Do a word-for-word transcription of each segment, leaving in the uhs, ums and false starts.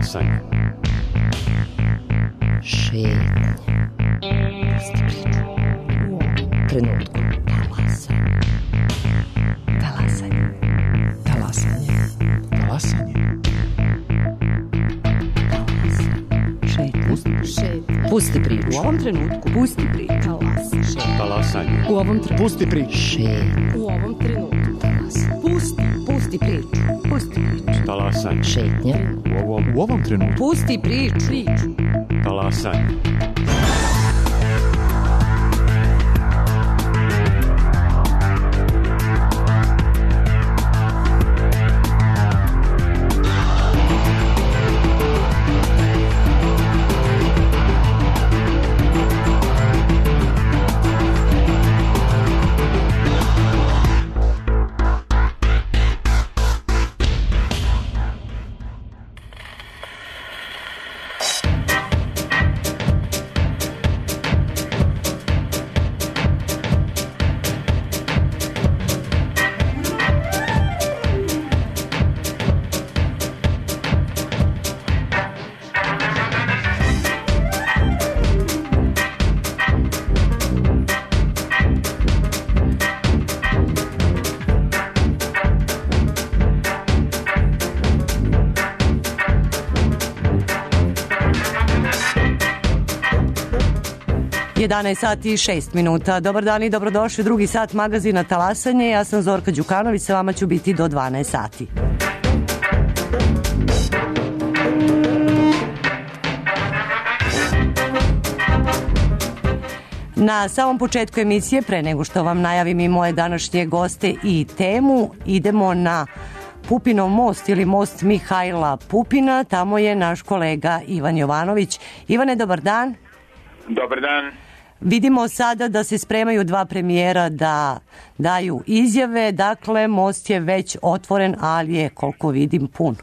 Talasanje. Šetnja. Pusti priču. U ovom trenutku. Talasanje. Talasanje. Talasanje. Talasanje. Šetnja. Pusti priču. Šetnja. Pusti priču. U ovom trenutku. Pusti priču. Talasanje. Šetnja. Talasanje. U ovom trenutku. Pusti priču. Šetnja. U ovom trenutku. Talasanje. Pusti. Pusti priču. Pusti priču. Talasanje. Šetnja. U ovom, u ovom trenutku. Pusti priču. Priču. Talasanje. jedanaest sati i šest minuta. Dobar dan i dobrodošli u drugi sat magazina Talasanje. Ja sam Zorka Đukanović, sa vama ću biti do dvanaest sati. Na samom početku emisije, pre nego što vam najavim i moje današnje goste i temu, idemo na Pupinov most ili most Mihajla Pupina. Tamo je naš kolega Ivan Jovanović. Ivane, dobar dan. Dobar dan. Vidimo sada da se spremaju dva premijera da daju izjave, dakle most je već otvoren, ali je, koliko vidim, pun.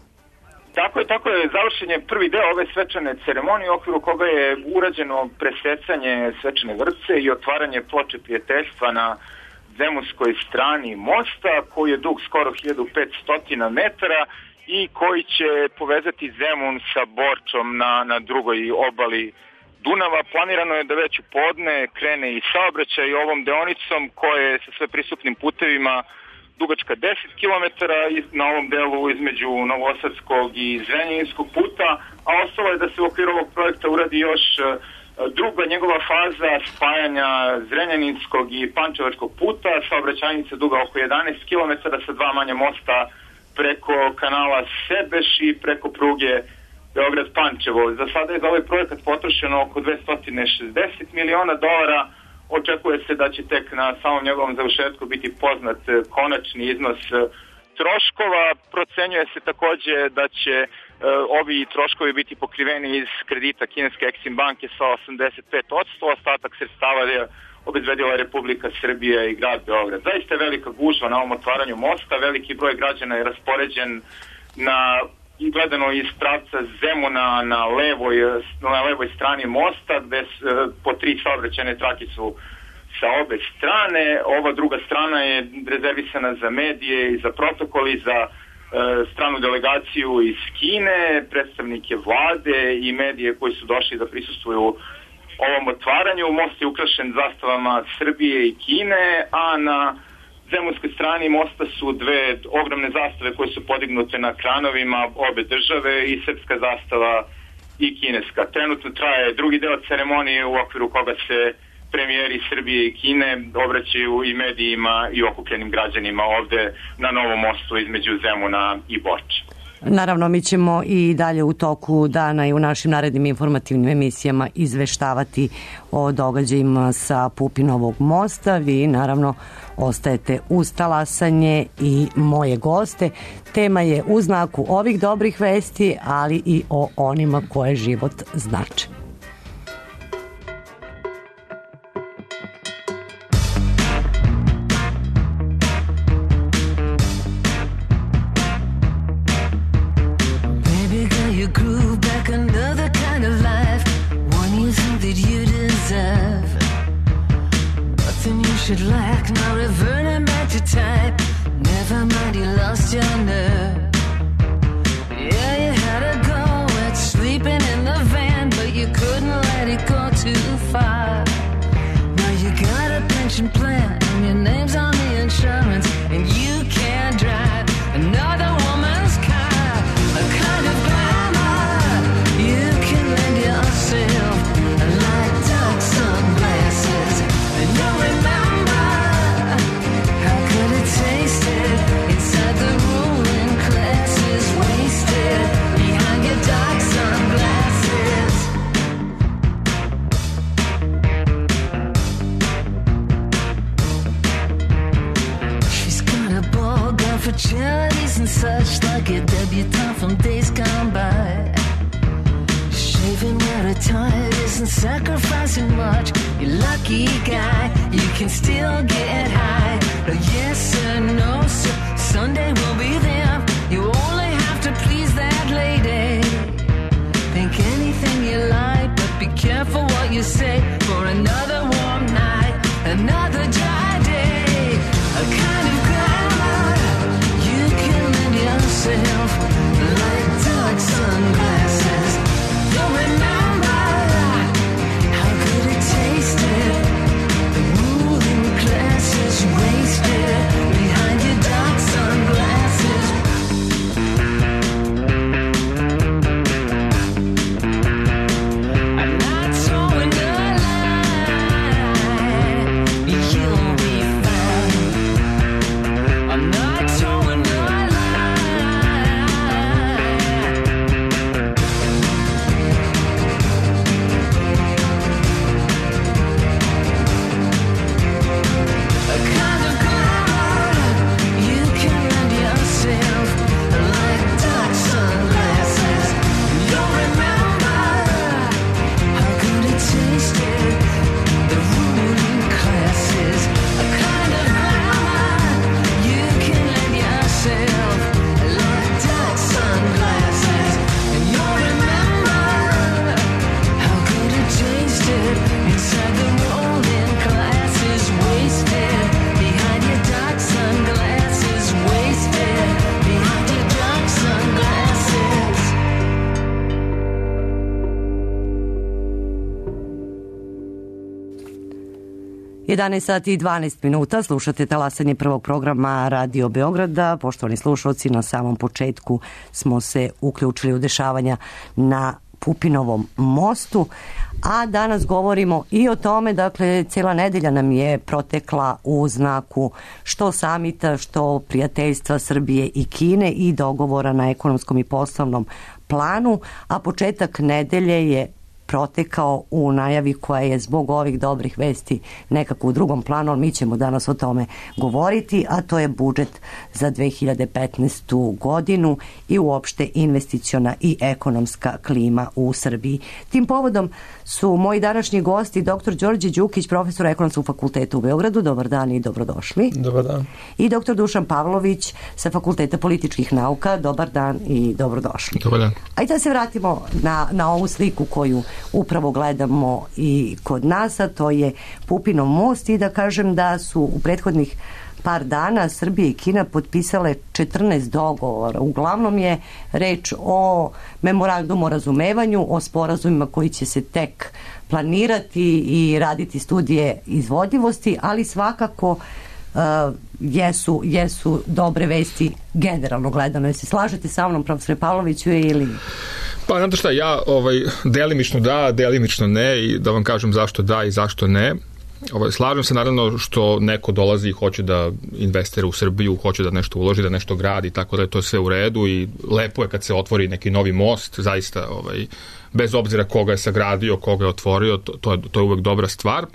Tako je, tako je, završen je prvi deo ove svečane ceremonije u okviru koga je urađeno presecanje svečane vrpce i otvaranje ploče prijateljstva na zemunskoj strani mosta, koji je dug skoro hiljadu petsto metara i koji će povezati Zemun sa Borčom na, na drugoj obali Dunava. Planirano je da već u podne krene i saobraćaj ovom deonicom koja je sa sve prisupnim putevima dugačka deset kilometara na ovom delu između Novosadskog i Zrenjaninskog puta, a ostalo je da se u okviru ovog projekta uradi još druga njegova faza spajanja Zrenjaninskog i Pančevačkog puta, saobraćajnica duga oko jedanaest kilometara sa dva manja mosta preko kanala Sebeš i preko pruge Beograd-Pančevo. Za sada je za ovaj projekat potrošeno oko dvesta šezdeset miliona dolara. Očekuje se da će tek na samom njegovom završetku biti poznat konačni iznos troškova. Procenjuje se takođe da će e, ovi troškovi biti pokriveni iz kredita kineske Exim banke sa osamdeset pet posto, ostatak sredstava je obezbedila Republika Srbija i grad Beograd. Zaista je velika gužva na ovom otvaranju mosta, veliki broj građana je raspoređen na i gledano iz pravca Zemuna na levoj, na levoj strani mosta, gde po tri saobraćajne trake su sa obe strane. Ova druga strana je rezervisana za medije i za protokol i za e, stranu delegaciju iz Kine, predstavnike vlade i medije koji su došli da prisustvuju ovom otvaranju. Most je ukrašen zastavama Srbije i Kine, a na zemunskoj strani mosta su dve ogromne zastave koje su podignute na kranovima obe države, i srpska zastava i kineska. Trenutno traje drugi deo ceremonije u okviru koga se premijeri Srbije i Kine obraćaju i medijima i okupljenim građanima ovde na novom mostu između Zemuna i Borče. Naravno, mi ćemo i dalje u toku dana i u našim narednim informativnim emisijama izveštavati o događajima sa Pupinovog mosta. Vi naravno ostajete uz Talasanje i moje goste. Tema je u znaku ovih dobrih vesti, ali i o onima koje život znače. Should lack no reverting back to type. Never mind, you lost your nerve. Yeah, you had to go where for charities and such, like a debutante from days gone by. Shaving where a tired isn't sacrificing much. You're lucky guy, you can still get high. No yes sir, no sir, Sunday will be there. You only have to please that lady. Think anything you like, but be careful what you say. For another warm night, another dry day, a kind of glamour you can lend yourself, like dark sunglasses. You'll remember how good it tasted. The ruling class is wasted behind your dark sunglasses. I'm not towing the line, you'll be fine. I'm not towing the line. A kind of glamour you can lend yourself, like dark sunglasses. You'll remember how good it tasted. The ruling classes. A kind of glamour you can lend yourself, like dark sunglasses. And you'll remember how good it tasted inside the rolling glasses. Wasted behind your dark sunglasses. Wasted behind your dark sunglasses. jedanaest sati i dvanaest minuta, slušate talasanje prvog programa Radio Beograda. Poštovani slušalci, na samom početku smo se uključili u dešavanja na Pupinovom mostu, a danas govorimo i o tome, dakle, cijela nedelja nam je protekla u znaku što samita, što prijateljstva Srbije i Kine i dogovora na ekonomskom i poslovnom planu, a početak nedelje je protekao u najavi koja je zbog ovih dobrih vesti nekako u drugom planu, ali mi ćemo danas o tome govoriti, a to je budžet za dve hiljade petnaestu godinu i uopšte investiciona i ekonomska klima u Srbiji. Tim povodom su moji današnji gosti doktor Đorđe Đukić, profesor Ekonomskog fakulteta u Beogradu. Dobar dan i dobrodošli. Dobar dan. I doktor Dušan Pavlović sa Fakulteta političkih nauka. Dobar dan i dobrodošli. Dobar dan. Ajde da se vratimo na, na ovu sliku koju upravo gledamo i kod nas, a to je Pupinov most, i da kažem da su u prethodnih par dana Srbija i Kina potpisale četrnaest dogovora. Uglavnom je reč o memorandumu o razumevanju, o sporazumima koji će se tek planirati i raditi studije izvodljivosti, ali svakako uh, jesu, jesu dobre vesti generalno gledano. Jesi slažete sa mnom, profesore Pavloviću, ili... Pa, znate šta, ja ovaj, delimično da, delimično ne, i da vam kažem zašto da i zašto ne. Ovaj, slažem se naravno što neko dolazi i hoće da investira u Srbiju, hoće da nešto uloži, da nešto gradi, tako da je to sve u redu i lepo je kad se otvori neki novi most, zaista, ovaj, bez obzira koga je sagradio, koga je otvorio, to, to, je, to je uvek dobra stvar.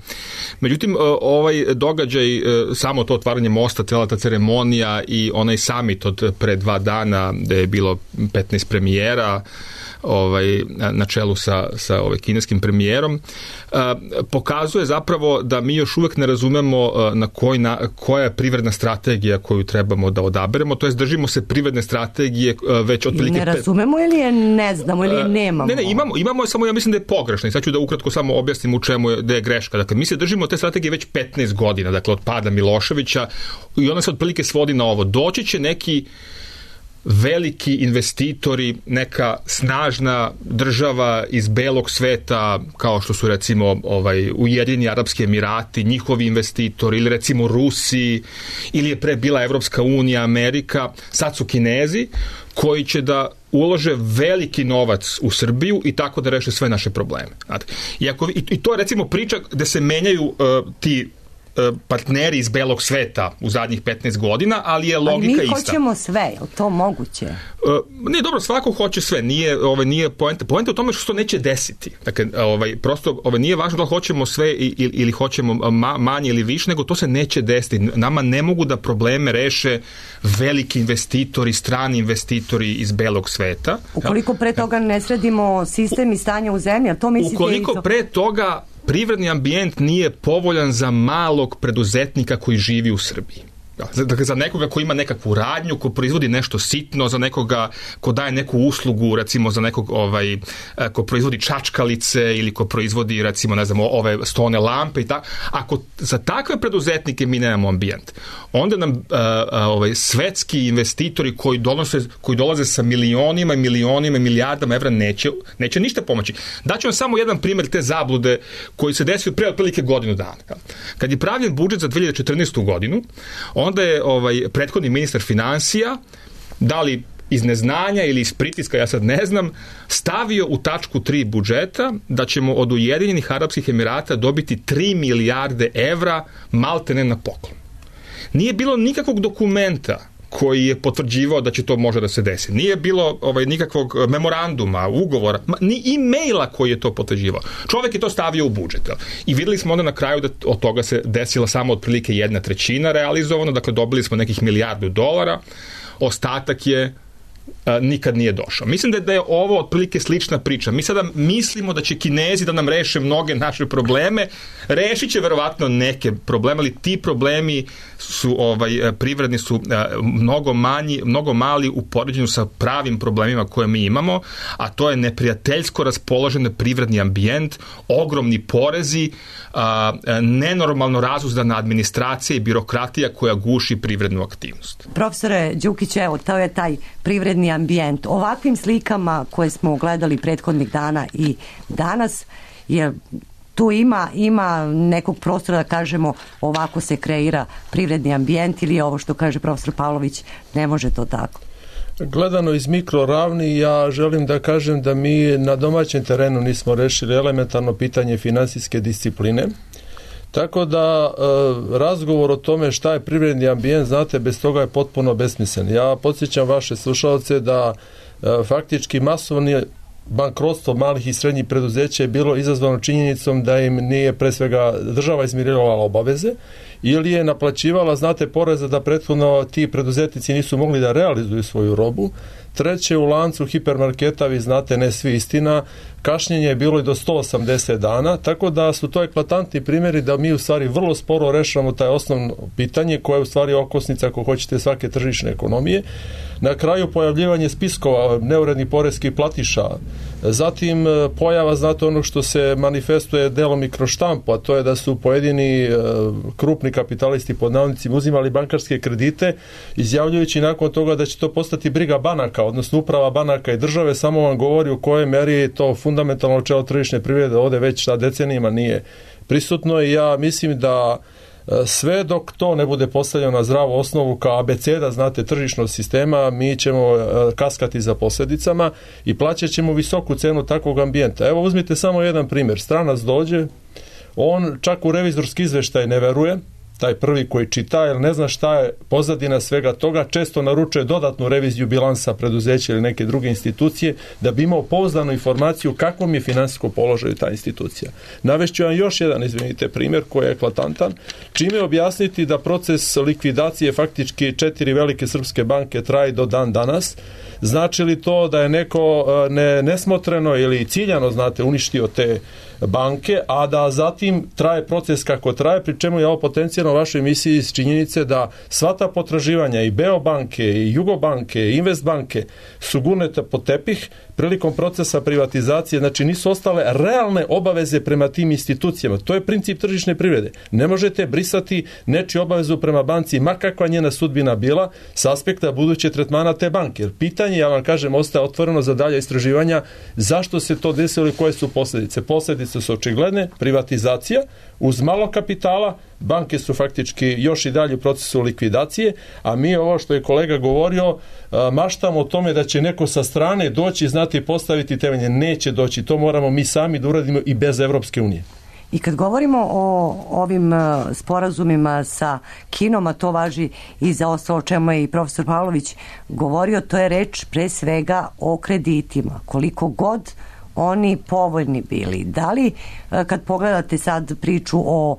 Međutim, ovaj događaj, samo to otvaranje mosta, cela ta ceremonija i onaj summit od pre dva dana gde je bilo petnaest premijera, ovaj, na čelu sa, sa ovaj, kineskim premijerom, uh, pokazuje zapravo da mi još uvek ne razumemo uh, na, koji na koja je privredna strategija koju trebamo da odaberemo, to jest držimo se privredne strategije uh, već otprilike... Ne razumemo ili je ne znamo ili je nemamo? Ne, ne, imamo, imamo je, samo ja mislim da je pogrešno i sad ću da ukratko samo objasnim u čemu je, da je greška. Dakle, mi se držimo te strategije već petnaest godina, dakle od pada Miloševića, i ona se otprilike svodi na ovo. Doći će neki veliki investitori, neka snažna država iz belog sveta, kao što su recimo ovaj, Ujedinjeni Arapski Emirati, njihovi investitori, ili recimo Rusi, ili je pre bila Evropska unija, Amerika, sad su Kinezi, koji će da ulože veliki novac u Srbiju i tako da reše sve naše probleme. Znate. I, ako, i, I to je recimo priča gde se menjaju uh, ti partneri iz belog sveta u zadnjih petnaest godina, ali je logika ista. Ali mi ista. hoćemo sve, je li to moguće? Uh, ne, dobro, svako hoće sve, nije, ovaj, nije poenta. Poenta u tome što se to neće desiti. Dakle, ovaj, prosto ovaj, nije važno da hoćemo sve ili, ili hoćemo ma, manje ili više, nego to se neće desiti. Nama ne mogu da probleme reše veliki investitori, strani investitori iz belog sveta. Ukoliko pre toga ne sredimo sistem i stanje u zemlji, a to mislite... Ukoliko to... pre toga privredni ambijent nije povoljan za malog preduzetnika koji živi u Srbiji. Dakle, za nekoga ko ima nekakvu radnju, ko proizvodi nešto sitno, za nekoga ko daje neku uslugu, recimo za nekog ovaj, ko proizvodi čačkalice ili ko proizvodi, recimo, ne znam, ove stone lampe i tako. Ako za takve preduzetnike mi nemamo ambijent, onda nam uh, ovaj, svetski investitori koji, donose, koji dolaze sa milionima i milionima i milijardama evra neće, neće ništa pomoći. Daću vam samo jedan primjer te zablude koji se desio pre otprilike godinu dana. Kad je pravljen budžet za dve hiljade četrnaestu godinu, onda je ovaj prethodni ministar finansija, da li iz neznanja ili iz pritiska, ja sad ne znam, stavio u tačku tri budžeta da ćemo od Ujedinjenih Arapskih Emirata dobiti tri milijarde evra maltene na poklon. Nije bilo nikakvog dokumenta koji je potvrđivao da će to može da se desi. Nije bilo ovaj, nikakvog memoranduma, ugovora, ni e-maila koji je to potvrđivao. Čovjek je to stavio u budžet. I videli smo onda na kraju da od toga se desila samo otprilike jedna trećina realizovano, dakle dobili smo nekih milijardu dolara, ostatak je a, nikad nije došao. Mislim da je, da je ovo otprilike slična priča. Mi sada mislimo da će Kinezi da nam reše mnoge naše probleme, rešit će verovatno neke probleme, ali ti problemi su ovaj privredni su a, mnogo manji, mnogo mali u poređenju sa pravim problemima koje mi imamo, a to je neprijateljsko raspoložen privredni ambijent, ogromni porezi, a, a, nenormalno razuzdana administracija i birokratija koja guši privrednu aktivnost. Profesore Đukić, evo, to je taj privredni ambijent. Ovakvim slikama koje smo gledali prethodnih dana i danas, je tu ima, ima nekog prostora da kažemo ovako se kreira privredni ambijent ili ovo što kaže profesor Pavlović, ne može to tako? Gledano iz mikroravni, ja želim da kažem da mi na domaćem terenu nismo rešili elementarno pitanje finansijske discipline. Tako da e, razgovor o tome šta je privredni ambijent, znate, bez toga je potpuno besmislen. Ja podsjećam vaše slušalce da e, faktički masovni bankrotstvo malih i srednjih preduzeća je bilo izazvano činjenicom da im nije pre svega država izmirivala obaveze ili je naplaćivala, znate, poreze da prethodno ti preduzetnici nisu mogli da realizuju svoju robu. Treće, u lancu hipermarketa, vi znate, ne svi istina, kašnjenje je bilo i do sto osamdeset dana, tako da su to eklatantni primjeri da mi u stvari vrlo sporo rešavamo taj osnovno pitanje koje je u stvari okosnica, ako hoćete, svake tržišne ekonomije. Na kraju pojavljivanje spiskova neurednih poreskih platiša, zatim pojava, znate, onog što se manifestuje delom i kroz štampu, a to je da su pojedini krupni kapitalisti pod navodnicima uzimali bankarske kredite, izjavljujući nakon toga da će to postati briga banaka, odnosno uprava banaka i države, samo vam govori u kojoj meri to fundamentalno načelo tržišne privrede ovde već šta decenijima nije prisutno i ja mislim da sve dok to ne bude postavljeno na zdravu osnovu kao abeceda, znate, tržišnog sistema, mi ćemo kaskati za posljedicama i plaćat ćemo visoku cenu takvog ambijenta. Evo, uzmite samo jedan primjer. Stranac dođe, on čak u revizorski izveštaj ne veruje, taj prvi koji čita, jer ne zna šta je pozadina svega toga, često naručuje dodatnu reviziju bilansa preduzeća ili neke druge institucije da bi imao pouzdanu informaciju kakvom je finansijsko položaju ta institucija. Navešću vam još jedan, izvinite, primjer koji je eklatantan, čime objasniti da proces likvidacije faktički četiri velike srpske banke traje do dan danas. Znači li to da je neko ne, nesmotreno ili ciljano, znate, uništio te banke, a da zatim traje proces kako traje, pri čemu je ovo potencijalno u vašoj emisiji iz činjenice da sva ta potraživanja i Beobanke, i Jugobanke, i Investbanke su gurnete pod tepih prilikom procesa privatizacije, znači nisu ostale realne obaveze prema tim institucijama. To je princip tržišne privrede. Ne možete brisati nečiju obavezu prema banci, ma kakva njena sudbina bila, s aspekta buduće tretmana te banke. Jer pitanje, ja vam kažem, ostaje otvoreno za dalje istraživanja zašto se to desilo i koje su posljedice. Posljedice su očigledne, privatizacija, uz malo kapitala, banke su faktički još i dalje u procesu likvidacije, a mi ovo što je kolega govorio, maštamo o tome da će neko sa strane doći, znati, postaviti temelje. Neće doći, to moramo mi sami da uradimo i bez Evropske unije. I kad govorimo o ovim sporazumima sa Kinom, a to važi i za ostalo o čemu je i profesor Pavlović govorio, to je reč pre svega o kreditima. Koliko god oni povoljni bili. Da li kad pogledate sad priču o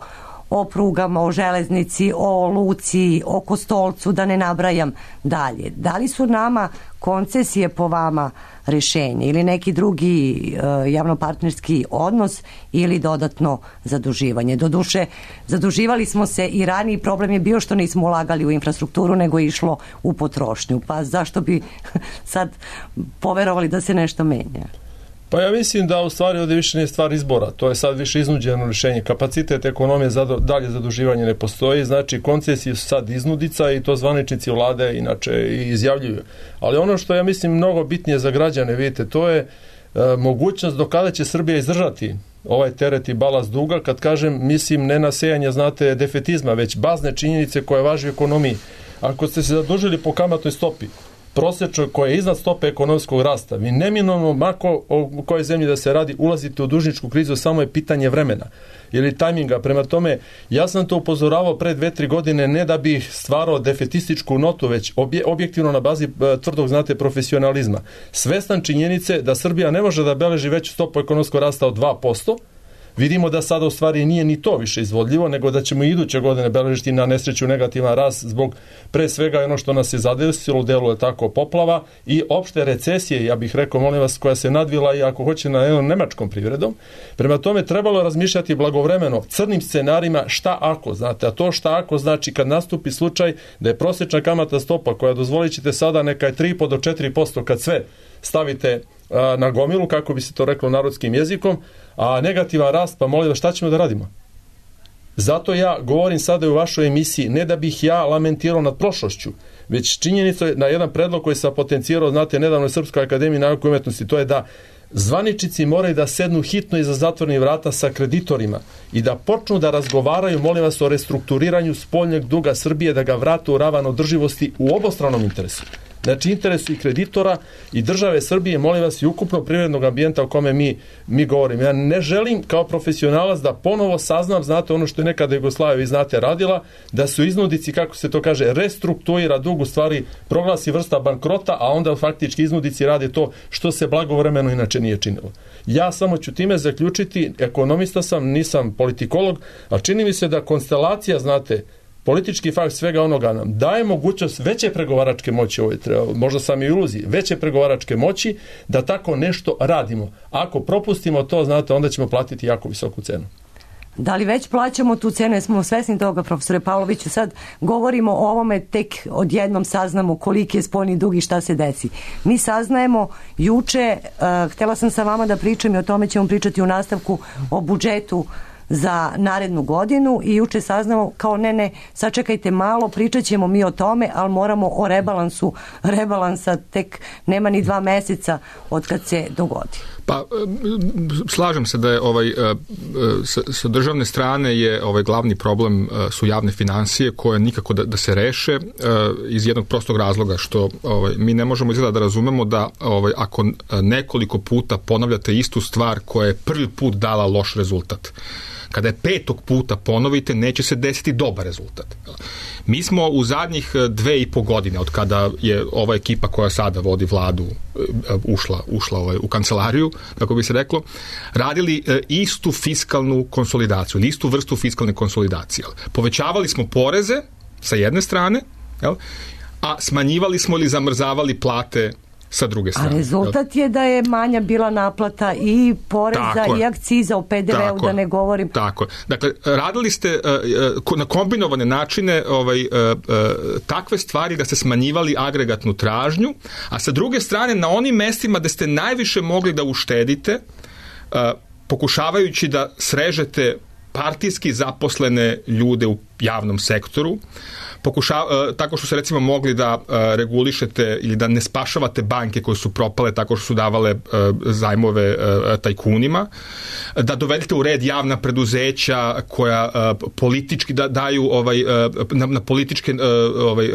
o prugama, o železnici, o luci, o Kostolcu, da ne nabrajam dalje. Da li su nama koncesije po vama rešenje ili neki drugi e, javnopartnerski odnos ili dodatno zaduživanje? Doduše, zaduživali smo se i raniji, problem je bio što nismo ulagali u infrastrukturu, nego je išlo u potrošnju. Pa zašto bi sad poverovali da se nešto menja? Pa ja mislim da u stvari ovdje više nije stvar izbora, to je sad više iznuđeno rješenje. Kapacitet ekonomije za dalje zaduživanje ne postoji, znači koncesije su sad iznudica i to zvaničnici vlade inače izjavljuju. Ali ono što ja mislim mnogo bitnije za građane, vidite, to je e, mogućnost do kada će Srbija izdržati ovaj teret i balast duga. Kad kažem, mislim ne na sejanje, znate, defetizma, već bazne činjenice koje važi u ekonomiji. Ako ste se zadužili po kamatnoj stopi, prosječno koja je iznad stope ekonomskog rasta, vi neminovno, mako o kojoj zemlji da se radi, ulazite u dužničku krizu, samo je pitanje vremena ili tajminga. Prema tome, ja sam to upozoravao pre dve, tri godine, ne da bih stvarao defetističku notu, već obje, objektivno na bazi tvrdog, znate, profesionalizma. Svestan činjenice da Srbija ne može da beleži veću stopu ekonomskog rasta od dva posto, vidimo da sada u stvari nije ni to više izvodljivo, nego da ćemo iduće godine beležiti na nesreću negativan rast zbog pre svega ono što nas je zadesilo u delu je tako poplava i opšte recesije, ja bih rekao, molim vas, koja se nadvila i ako hoće na jednom nemačkom privredom. Prema tome trebalo razmišljati blagovremeno crnim scenarima šta ako, znate, a to šta ako znači kad nastupi slučaj da je prosječna kamatna stopa koja, dozvolit ćete sada, neka je tri i po do četiri posto kad sve stavite a, na gomilu, kako bi se to reklo narodskim jezikom, a negativan rast, pa molim vas, šta ćemo da radimo? Zato ja govorim sada u vašoj emisiji, ne da bih ja lamentirao nad prošlošću, već činjenica je na jedan predlog koji sam potencirao, znate, nedavno u Srpskoj akademiji nauke i umetnosti, to je da zvaničnici moraju da sednu hitno iza zatvornih vrata sa kreditorima i da počnu da razgovaraju, molim vas, o restrukturiranju spoljnog duga Srbije, da ga vrate u ravan održivosti u obostranom interesu. Znači, interesu i kreditora i države Srbije, molim vas, i ukupno privrednog ambijenta o kome mi, mi govorim. Ja ne želim kao profesionalac da ponovo saznam, znate, ono što je nekada Jugoslavija, vi znate, radila, da su iznudici, kako se to kaže, restruktuira dug, u stvari proglasi vrsta bankrota, a onda faktički iznudici rade to što se blagovremeno inače nije činilo. Ja samo ću time zaključiti, ekonomista sam, nisam politikolog, a čini mi se da konstelacija, znate, politički fakt svega onoga nam daje mogućnost veće pregovaračke moći, ovo je treba, možda sam i iluziji, veće pregovaračke moći da tako nešto radimo. Ako propustimo to, znate, onda ćemo platiti jako visoku cenu. Da li već plaćamo tu cenu, jesmo svesni toga, profesore Pavloviću? Sad govorimo o ovome, tek odjednom saznamo koliki je spoljni dug i šta se desi. Mi saznajemo juče, uh, htjela sam sa vama da pričam i o tome ćemo pričati u nastavku o budžetu za narednu godinu i juče saznamo kao ne, ne, sačekajte malo, pričat ćemo mi o tome, ali moramo o rebalansu, rebalansa tek nema ni dva meseca od kad se dogodi. Pa slažem se da je ovaj sa, sa državne strane je ovaj glavni problem su javne finansije koje nikako da, da se reše iz jednog prostog razloga što ovaj mi ne možemo izgleda da razumemo da ovaj ako nekoliko puta ponavljate istu stvar koja je prvi put dala loš rezultat, kada je petog puta ponovite, neće se desiti dobar rezultat. Mi smo u zadnjih dve i po godine, od kada je ova ekipa koja sada vodi vladu ušla, ušla ovaj, u kancelariju, kako bi se reklo, radili istu fiskalnu konsolidaciju, ili istu vrstu fiskalne konsolidacije. Povećavali smo poreze sa jedne strane, jel? A smanjivali smo ili zamrzavali plate sa druge strane. A rezultat je da je manja bila naplata i poreza i akciza u P D V-u, da ne govorim. Tako. Dakle, radili ste uh, na kombinovane načine ovaj, uh, uh, takve stvari da ste smanjivali agregatnu tražnju, a sa druge strane na onim mestima gde ste najviše mogli da uštedite, uh, pokušavajući da srežete partijski zaposlene ljude u javnom sektoru, pokušava, tako što se recimo mogli da regulišete ili da ne spašavate banke koje su propale tako što su davale zajmove tajkunima, da dovedete u red javna preduzeća koja politički da daju ovaj, na, na političke ovaj,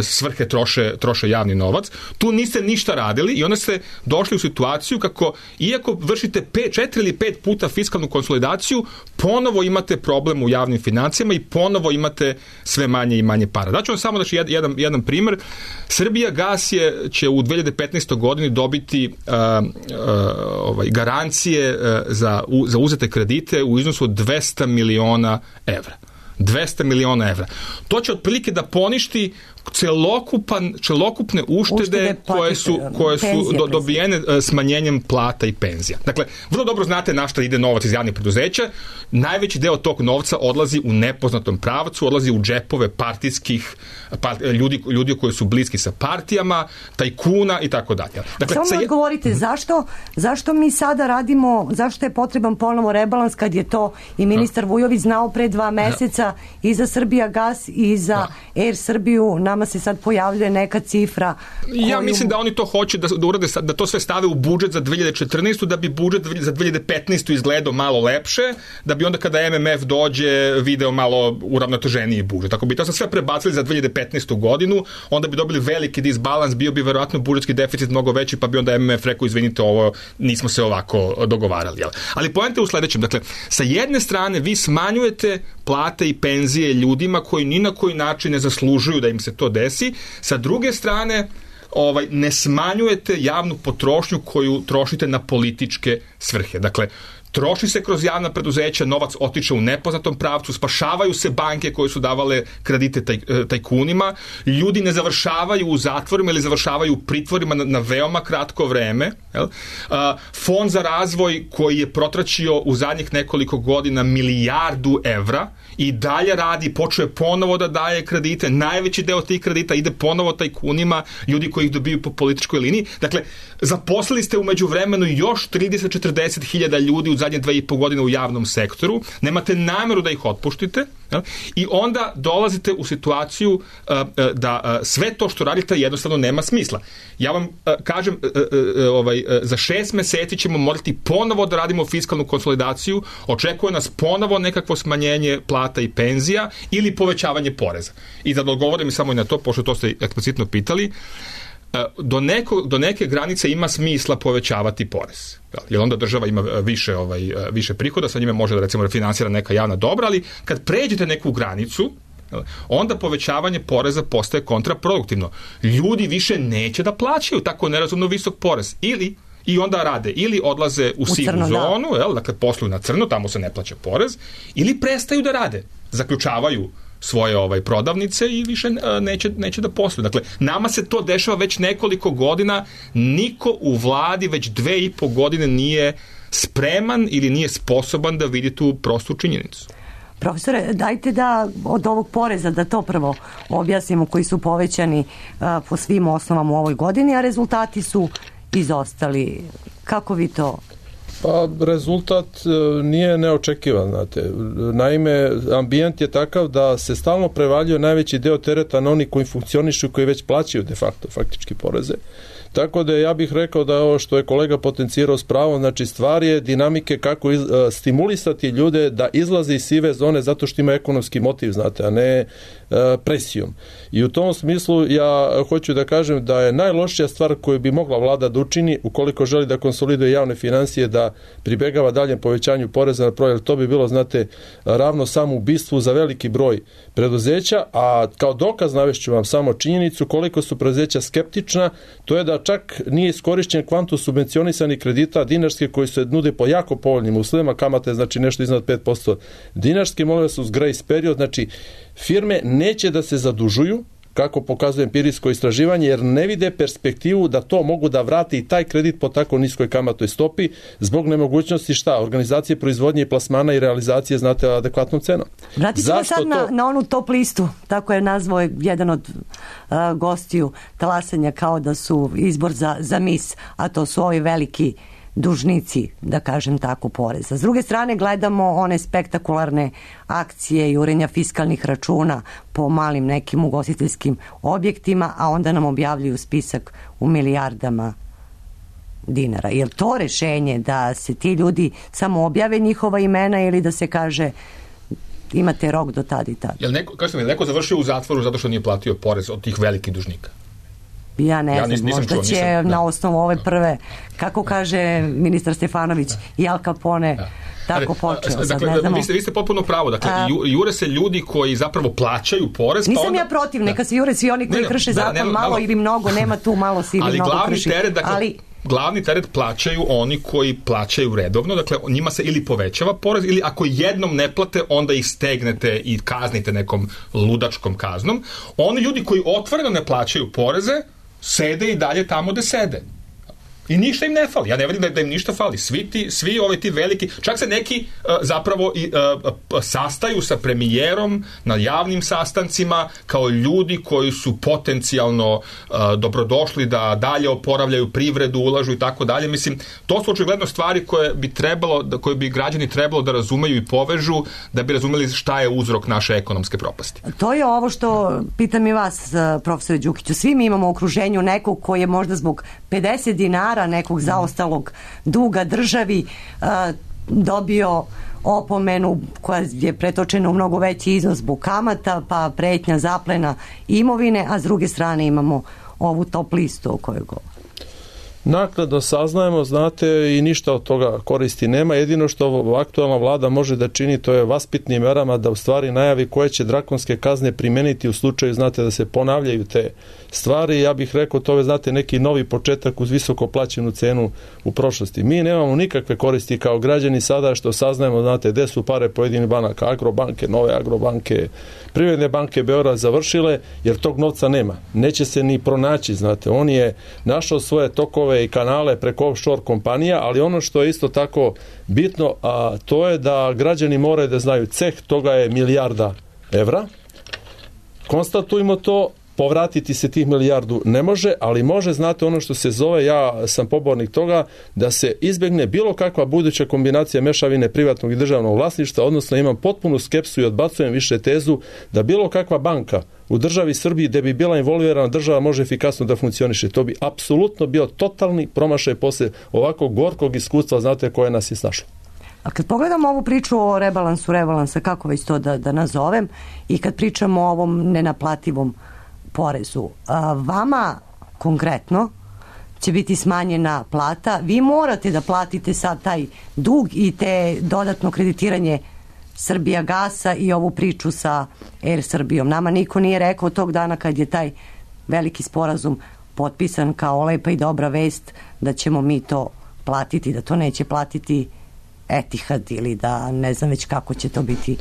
svrhe troše, troše javni novac. Tu niste ništa radili i onda ste došli u situaciju kako, iako vršite pet, četiri ili pet puta fiskalnu konsolidaciju, ponovo imate problem u javnim financijama i ponovo imate sve manje i manje para. Daću vam samo znači, jedan, jedan primjer. Srbijagas je, će u dve hiljade petnaestoj godini dobiti uh, uh, ovaj, garancije uh, za, u, za uzete kredite u iznosu od dvesta miliona evra. dvesta miliona evra. To će otprilike da poništi celokupan, celokupne uštede, uštede koje su, koje su do, dobijene smanjenjem plata i penzija. Dakle, vrlo dobro znate na šta ide novac iz javnih preduzeća. Najveći deo tog novca odlazi u nepoznatom pravcu, odlazi u džepove partijskih part, ljudi, ljudi koji su bliski sa partijama, tajkuna i tako dalje. Dakle, samo mi odgovorite, zašto, zašto mi sada radimo, zašto je potreban ponovo rebalans kad je to i ministar Vujović znao pre dva meseca i za Srbijagas i za Air Srbiju, nama se sad pojavljuje neka cifra koju... Ja mislim da oni to hoće da, da urade, da to sve stave u budžet za dve hiljade četrnaestu da bi budžet za dve hiljade petnaestu izgledao malo lepše, da bi onda kada M M F dođe video malo uravnoteženiji budžet. Ako bi to sve prebacili za dve hiljade petnaestu godinu, onda bi dobili veliki disbalans, bio bi verovatno budžetski deficit mnogo veći, pa bi onda M M F rekao, izvinite, ovo nismo se ovako dogovarali. Jel? Ali poenta je u sledećem. Dakle, sa jedne strane vi smanjujete plate i penzije ljudima koji ni na koji način ne zaslužuju da im se to desi. Sa druge strane, ovaj, ne smanjujete javnu potrošnju koju trošite na političke svrhe. Dakle, troši se kroz javna preduzeća, novac otiče u nepoznatom pravcu, spašavaju se banke koje su davale kredite taj, tajkunima, ljudi ne završavaju u zatvorima ili završavaju u pritvorima na, na veoma kratko vreme. Jel? A, fond za razvoj koji je protračio u zadnjih nekoliko godina milijardu evra i dalje radi, počeo je ponovo da daje kredite, najveći deo tih kredita ide ponovo tajkunima, ljudi koji ih dobiju po političkoj liniji. Dakle, zaposlili ste umeđu vremenu još trideset do četrdeset hiljada ljudi u zadnje dve i po godine u javnom sektoru, nemate nameru da ih otpuštite, jel? I onda dolazite u situaciju uh, uh, da uh, sve to što radite jednostavno nema smisla. Ja vam uh, kažem, uh, uh, ovaj, uh, za šest meseci ćemo morati ponovo da radimo fiskalnu konsolidaciju, očekuje nas ponovo nekakvo smanjenje plata i penzija ili povećavanje poreza. I da odgovorim samo i na to, pošto to ste eksplicitno pitali, Do, neko, do neke granice ima smisla povećavati porez. Jer onda država ima više, ovaj, više prihoda, sa njime može da recimo refinansira neka javna dobra, ali kad pređete neku granicu, onda povećavanje poreza postaje kontraproduktivno. Ljudi više neće da plaćaju tako nerazumno visok porez. Ili i onda rade, ili odlaze u, u sivu crno, zonu, da. Jel, dakle posluju na crno, tamo se ne plaća porez, ili prestaju da rade, zaključavaju svoje ovaj prodavnice i više neće, neće da posluju. Dakle, nama se to dešava već nekoliko godina, niko u vladi već dve i po godine nije spreman ili nije sposoban da vidi tu prostu činjenicu. Profesore, dajte da od ovog poreza, da to prvo objasnimo, koji su povećani uh, po svim osnovama u ovoj godini, a rezultati su izostali. Kako vi to... Pa rezultat nije neočekivan, znate. Naime, ambijent je takav da se stalno prevaljuje najveći deo tereta na oni koji funkcionišu, koji već plaćaju de facto faktički poreze. Tako da ja bih rekao da ovo što je kolega potencirao s pravom, znači stvar je dinamike kako iz, a, stimulisati ljude da izlaze iz sive zone zato što ima ekonomski motiv, znate, a ne a, presijom. I u tom smislu ja hoću da kažem da je najlošija stvar koju bi mogla vlada da učini ukoliko želi da konsoliduje javne financije, da pribegava daljem povećanju poreza na proizvod. To bi bilo, znate, ravno samoubistvu za veliki broj preduzeća, a kao dokaz navešću vam samo činjenicu koliko su preduzeća skeptična, to je da čak nije iskorišćen kvantum subvencionisanih kredita dinarske koji se nude po jako povoljnim uslovima, kamate znači nešto iznad pet posto dinarske, molim su uz grace period, znači firme neće da se zadužuju, kako pokazuje empirijsko istraživanje, jer ne vide perspektivu da to mogu da vrate i taj kredit po tako niskoj kamatnoj stopi zbog nemogućnosti šta? Organizacije proizvodnje i plasmana i realizacije, znate, adekvatnom cenom. Vratit ćemo sad to... na, na onu top listu, tako je nazvao jedan od uh, gostiju talasanja kao da su izbor za, za mis, a to su ovi veliki dužnici, da kažem tako, poreza. S druge strane gledamo one spektakularne akcije jurenja fiskalnih računa po malim nekim ugostiteljskim objektima, a onda nam objavljuju spisak u milijardama dinara. Je li to rešenje da se ti ljudi samo objave njihova imena ili da se kaže imate rok do tad i tad? Je li neko, kao što mi, neko završio u zatvoru zato što nije platio porez od tih velikih dužnika? Ja ne ja znam, nis, možda čuo, će nisam, na da. osnovu ove prve, kako kaže ministar Stefanović, i Al Capone, da. tako počeo. Sad dakle, ne znamo. Vi ste, vi ste potpuno pravo. Dakle, A, jure se ljudi koji zapravo plaćaju porez. Nisam pa onda, ja protiv, neka se jure svi oni koji ne, krše da, zakon, nema, malo, malo ili mnogo, nema tu malo si ili ali mnogo glavni krši. Teret, dakle, ali glavni teret plaćaju oni koji plaćaju redovno, dakle njima se ili povećava porez ili ako jednom ne plate, onda ih stegnete i kaznite nekom ludačkom kaznom. Oni ljudi koji otvoreno ne plaćaju poreze, sede i dalje tamo gde sede. I ništa im ne fali. Ja ne vidim da, da im ništa fali. Svi ti, svi ovi ti veliki, čak se neki uh, zapravo i, uh, sastaju sa premijerom na javnim sastancima kao ljudi koji su potencijalno uh, dobrodošli da dalje oporavljaju privredu, ulažu i tako dalje. Mislim, to su očigledno stvari koje bi trebalo, da, koje bi građani trebalo da razumeju i povežu da bi razumeli šta je uzrok naše ekonomske propasti. To je ovo što pitam i vas, profesore Đukiću. Svi mi imamo u okruženju nekog koji je možda zbog pedeset dinara nekog zaostalog duga državi a, dobio opomenu koja je pretočena u mnogo veći iznos zbog kamata, pa pretnja zaplena imovine, a s druge strane imamo ovu top listu o kojoj govorim. Naknadno saznajemo, znate, i ništa od toga koristi nema. Jedino što aktualna vlada može da čini, to je vaspitnim merama da u stvari najavi koje će drakonske kazne primeniti u slučaju, znate, da se ponavljaju te stvari. Ja bih rekao, to je, znate, neki novi početak uz visoko plaćenu cenu u prošlosti. Mi nemamo nikakve koristi kao građani sada što saznajemo, znate, gde su pare pojedinih banaka, Agrobanke, nove Agrobanke, Privredne banke Beograd završile, jer tog novca nema. Neće se ni pronaći, znate. On je našao svoje tokove i kanale preko offshore kompanija, ali ono što je isto tako bitno, a to je da građani moraju da znaju, ceh toga je milijarda evra. Konstatujmo to, povratiti se tih milijardu ne može, ali može, znate, ono što se zove, ja sam pobornik toga, da se izbegne bilo kakva buduća kombinacija mešavine privatnog i državnog vlasništva, odnosno imam potpunu skepsu i odbacujem više tezu da bilo kakva banka u državi Srbiji gde bi bila involvirana država može efikasno da funkcioniše. To bi apsolutno bio totalni promašaj posle ovako gorkog iskustva, znate, koje nas je snašlo. A kad pogledamo ovu priču o rebalansu rebalansa, kako već to da, da nazovem, i kad pričamo o ovom nenaplativom porezu, a, vama konkretno će biti smanjena plata, vi morate da platite sad taj dug i te dodatno kreditiranje Srbijagasa i ovu priču sa Er Srbijom. Nama niko nije rekao tog dana kad je taj veliki sporazum potpisan kao lepa i dobra vest da ćemo mi to platiti, da to neće platiti Etihad ili da ne znam već kako će to biti,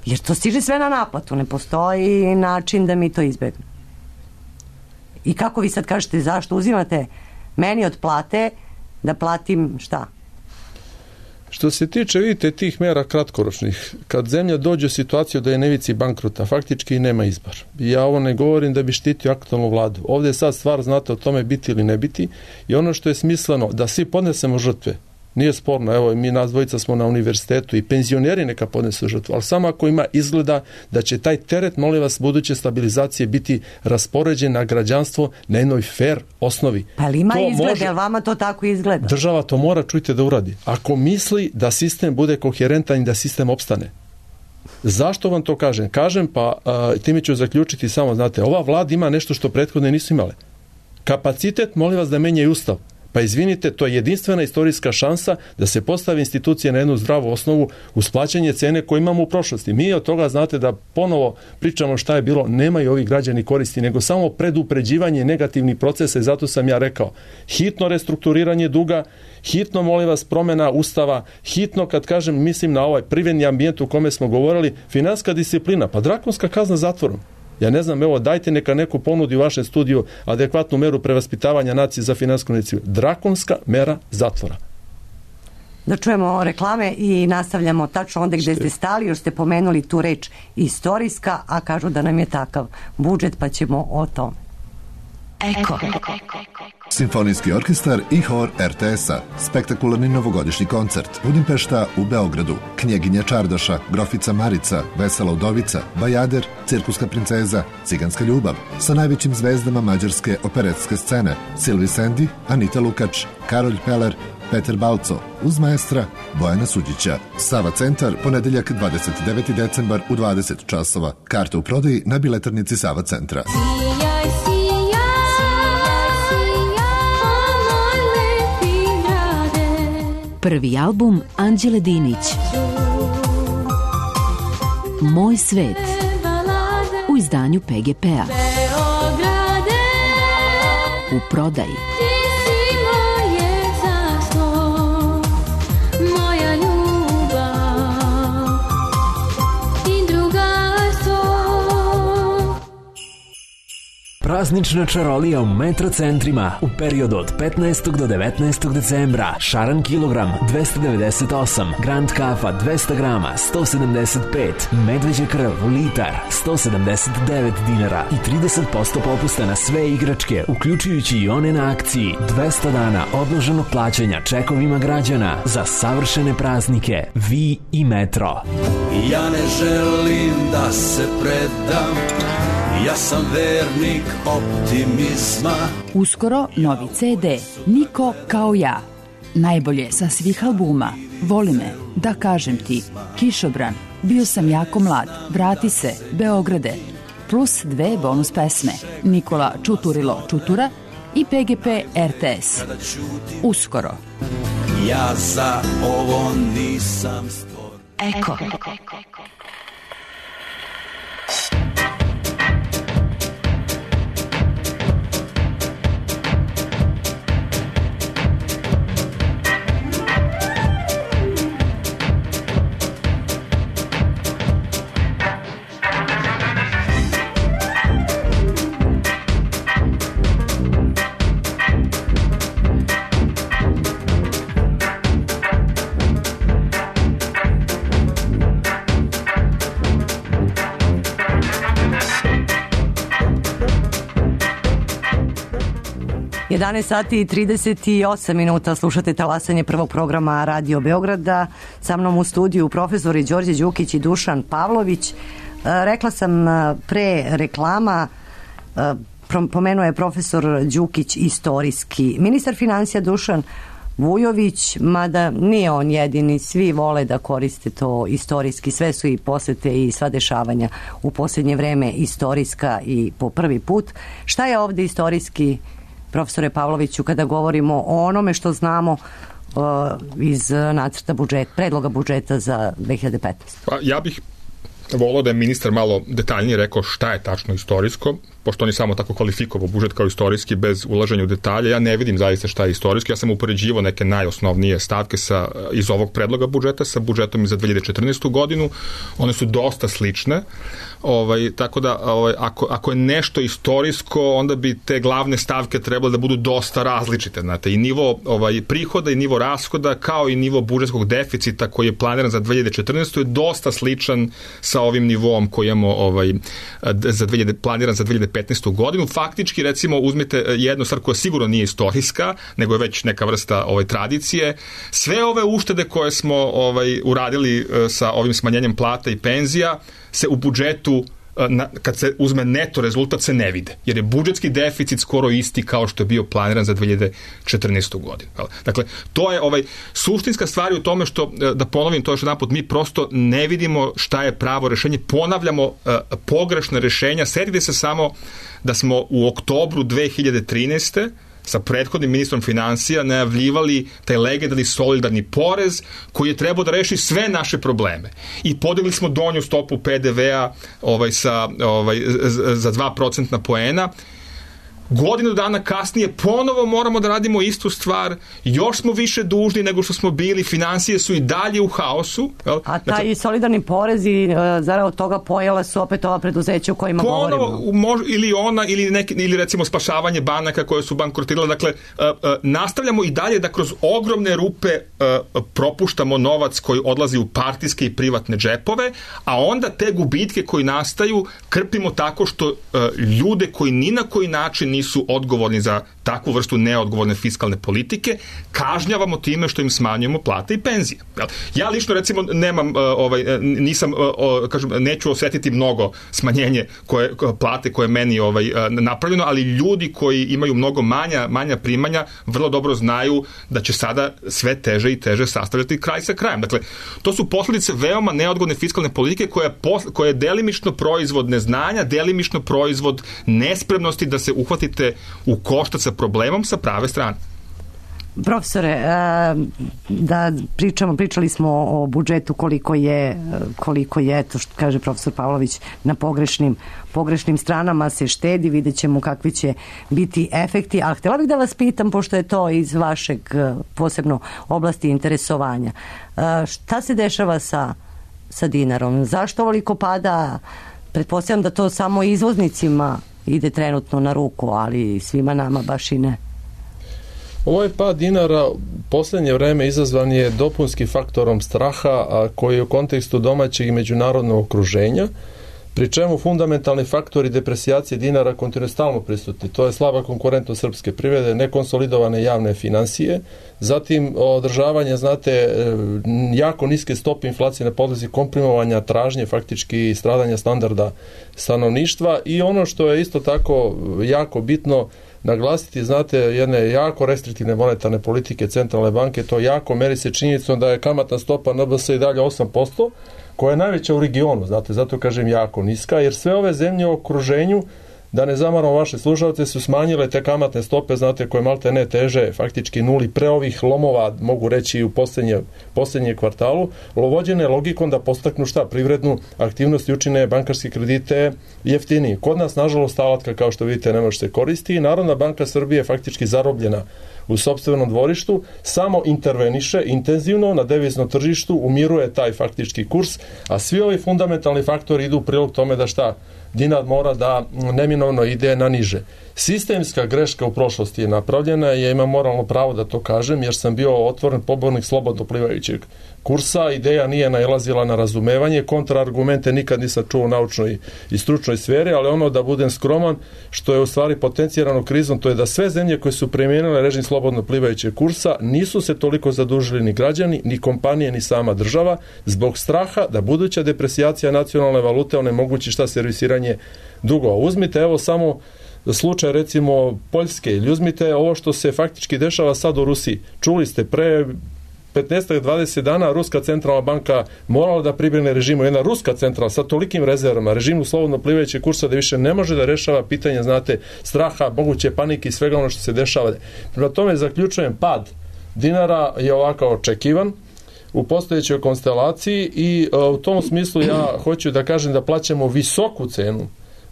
jer to stiže sve na naplatu, ne postoji način da mi to izbegnemo. I kako vi sad kažete, zašto uzimate meni od plate da platim šta? Što se tiče, vidite, tih mera kratkoročnih, kad zemlja dođe u situaciju da je na ivici bankrota, faktički nema izbor. Ja ovo ne govorim da bi štitio aktualnu vladu. Ovdje je sad stvar, znate, o tome biti ili ne biti, i ono što je smisleno da svi podnesemo žrtve, nije sporno, evo, mi nas dvojica smo na univerzitetu i penzioneri neka podnesu žrtvu, ali samo ako ima izgleda da će taj teret, molim vas, buduće stabilizacije biti raspoređen na građanstvo na jednoj fair osnovi. Pa ali ima to izgleda, može, jel vama to tako izgleda? Država to mora, čujte, da uradi. Ako misli da sistem bude koherentan i da sistem opstane. Zašto vam to kažem? Kažem, pa a, time ću zaključiti samo, znate, ova vlada ima nešto što prethodne nisu imale. Kapacitet, molim vas, da menjaju ustav. Pa izvinite, to je jedinstvena istorijska šansa da se postavi institucije na jednu zdravu osnovu uz plaćanje cene koje imamo u prošlosti. Mi od toga, znate, da ponovo pričamo šta je bilo, nemaju ovi građani koristi, nego samo predupređivanje negativnih procesa, i zato sam ja rekao, hitno restrukturiranje duga, hitno, molim vas, promjena ustava, hitno, kad kažem, mislim na ovaj privredni ambijent u kome smo govorili, finansijska disciplina, pa drakonska kazna zatvorom. Ja ne znam, evo, dajte neka neku ponudi u vašem studiju adekvatnu meru prevaspitavanja nacije za finansijsku disciplinu. Drakonska mera zatvora. Da čujemo reklame i nastavljamo tačno onda gde ste stali, još ste pomenuli tu reč istorijska, a kažu da nam je takav budžet, pa ćemo o tome. Eko. Simfonijski orkestar i hor er te es-a. Spektakularni novogodišnji koncert. Budimpešta u Beogradu. Knjeginja Čardaša, Grofica Marica, Vesela udovica, Bajader, Cirkuska princeza, Ciganska ljubav. Sa najvećim zvezdama mađarske operetske scene. Silvi Sendi, Anita Lukač, Karolj Peler, Peter Balco, uz maestra Bojana Suđića. Sava centar, ponedeljak dvadeset deveti decembar u dvadeset časova. Karte u prodaji na biletarnici Sava centra. Prvi album Anđele Dinić. Moj svet. U izdanju pe ge pe-a. U prodaji. Praznična čarolija u metrocentrima u periodu od petnaestog do devetnaestog decembra. Šaran kilogram dvesta devedeset osam, Grand kafa dvesta grama sto sedamdeset pet, medveđa krv litar sto sedamdeset devet dinara i trideset posto popusta na sve igračke, uključujući i one na akciji. dvesta dana odloženog plaćanja čekovima građana za savršene praznike. Vi i Metro. Ja ne želim da se predam, ja sam vernik optimizma. Uskoro novi ce de Niko kao ja. Najbolje sa svih albuma. Voli me, da kažem ti, Kišobran, bio sam jako mlad, vrati se, Beograde. Plus dve bonus pesme, Nikola Čuturilo Čutura i pe ge pe er te es. Uskoro. Ja za ovo nisam stvoren. Eko. jedanaest sati i trideset osam minuta, slušate talasanje prvog programa Radio Beograda. Sa mnom u studiju profesori Đorđe Đukić i Dušan Pavlović. Rekla sam pre reklama, pomenuo je profesor Đukić istorijski. Ministar financija Dušan Vujović, mada nije on jedini, svi vole da koriste to istorijski, sve su i posete i sva dešavanja u posljednje vreme istorijska i po prvi put. Šta je ovde istorijski, profesore Pavloviću, kada govorimo o onome što znamo uh, iz nacrta budžeta, predloga budžeta za dve hiljade petnaestu. Pa ja bih volao da je ministar malo detaljnije rekao šta je tačno istorijsko, pošto on je samo tako kvalifikovao budžet kao istorijski bez ulaženja u detalje. Ja ne vidim zaista šta je istorijski. Ja sam upoređivao neke najosnovnije stavke sa, iz ovog predloga budžeta sa budžetom za dve hiljade četrnaestu godinu. One su dosta slične. Ovaj, tako da ovaj, ako, ako je nešto istorijsko, onda bi te glavne stavke trebalo da budu dosta različite. Znate, i nivo ovaj, prihoda i nivo rashoda kao i nivo budžetskog deficita koji je planiran za dve hiljade četrnaestu je dosta sličan sa ovim nivom koji imamo ovaj, za dve hiljade, planiran za dve hiljade petnaestu godinu. Faktički, recimo, uzmete jednu stvar koja sigurno nije istorijska, nego je već neka vrsta ovaj, tradicije. Sve ove uštede koje smo ovaj, uradili sa ovim smanjenjem plata i penzija se u budžetu, na, kad se uzme neto rezultat, se ne vide. Jer je budžetski deficit skoro isti kao što je bio planiran za dve hiljade četrnaestu godinu. Dakle, to je ovaj, suštinska stvar u tome što, da ponovim to još jedan put, mi prosto ne vidimo šta je pravo rešenje, ponavljamo uh, pogrešne rešenja. Setite se samo da smo u oktobru dve hiljade trinaeste sa prethodnim ministrom financija najavljivali taj legendarni solidarni porez koji je trebao da reši sve naše probleme. I podigli smo donju stopu pe de ve-a ovaj, sa, ovaj, za dva procentna poena. Godinu dana kasnije ponovo moramo da radimo istu stvar, još smo više dužni nego što smo bili, finansije su i dalje u haosu. Jel? A taj dakle, solidarni porez i zarad od toga pojela su opet ova preduzeća o kojima ponovo, govorimo. Mož, ili ona, ili, neki, ili recimo spašavanje banaka koje su bankrotirale. Dakle, uh, uh, nastavljamo i dalje da kroz ogromne rupe uh, propuštamo novac koji odlazi u partijske i privatne džepove, a onda te gubitke koji nastaju krpimo tako što uh, ljude koji ni na koji način nisu odgovorni za takvu vrstu neodgovorne fiskalne politike, kažnjavamo time što im smanjujemo plate i penzije. Ja lično recimo nemam, ovaj, nisam, kažem, neću osetiti mnogo smanjenje koje, plate koje je meni ovaj, napravljeno, ali ljudi koji imaju mnogo manja, manja primanja vrlo dobro znaju da će sada sve teže i teže sastavljati kraj sa krajem. Dakle, to su posljedice veoma neodgovorne fiskalne politike koja je, posl- koja je delimično proizvod neznanja, delimično proizvod nespremnosti da se uhvatite u koštac sa problemom sa prave strane. Profesore, da pričamo, pričali smo o budžetu koliko je, koliko je, to što kaže profesor Pavlović, na pogrešnim, pogrešnim stranama se štedi, vidjet ćemo kakvi će biti efekti, ali htjela bih da vas pitam, pošto je to iz vašeg posebno oblasti interesovanja, šta se dešava sa, sa dinarom? Zašto ovoliko pada? Pretpostavljam da to samo izvoznicima ide trenutno na ruku, ali svima nama baš i ne. Ovaj pad dinara u posljednje vreme izazvan je dopunskim faktorom straha, a koji je u kontekstu domaćeg i međunarodnog okruženja, pri čemu fundamentalni faktori depresijacije dinara kontinuirano stalno prisutni. To je slaba konkurentnost srpske privrede, nekonsolidovane javne financije, zatim održavanje, znate, jako niske stope inflacije na podlozi komprimovanja tražnje, faktički stradanja standarda stanovništva, i ono što je isto tako jako bitno naglasiti, znate, jedne jako restriktivne monetarne politike centralne banke, to jako meri se činjenicom da je kamatna stopa N B S i dalje osam posto, koja je najveća u regionu, znate, zato kažem jako niska, jer sve ove zemlje u okruženju, da ne zamaramo vaše slušalce, su smanjile te kamatne stope, znate, koje malte ne teže faktički nuli pre ovih lomova, mogu reći, u posljednje, posljednje kvartalu, lovođene logikom da postaknu šta? Privrednu aktivnost i učine bankarske kredite jeftiniji. Kod nas, nažalost, alatka, kao što vidite, ne može se koristi i Narodna banka Srbije je faktički zarobljena u sopstvenom dvorištu, samo interveniše intenzivno na deviznom tržištu, umiruje taj faktički kurs, a svi ovi fundamentalni faktori idu u prilog tome da šta? Dinar mora da neminovno ide na niže. Sistemska greška u prošlosti je napravljena i ja imam moralno pravo da to kažem, jer sam bio otvoren pobornik slobodno plivajućeg kursa. Ideja nije nailazila na razumevanje, kontraargumente nikad nisam čuo u naučnoj i stručnoj sferi, ali ono, da budem skroman, što je u stvari potencirano krizom, to je da sve zemlje koje su primijenile režim slobodno plivajućeg kursa nisu se toliko zadužili ni građani, ni kompanije, ni sama država, zbog straha da buduća depresijacija nacionalne valute onemogući šta? Servisiranje dugova. Uzmite evo samo slučaj recimo Poljske, ili uzmite ovo što se faktički dešava sad u Rusiji. Čuli ste, pre petnaest do dvadeset dana Ruska centralna banka morala da pribrine režimu, jedna ruska centralna sa tolikim rezervama, režimu slobodno plivajućeg kursa, da više ne može da rešava pitanje, znate, straha, moguće panike i svega ono što se dešava. Prema tome zaključujem, pad dinara je ovako očekivan u postojećoj konstelaciji i uh, u tom smislu ja hoću da kažem da plaćamo visoku cenu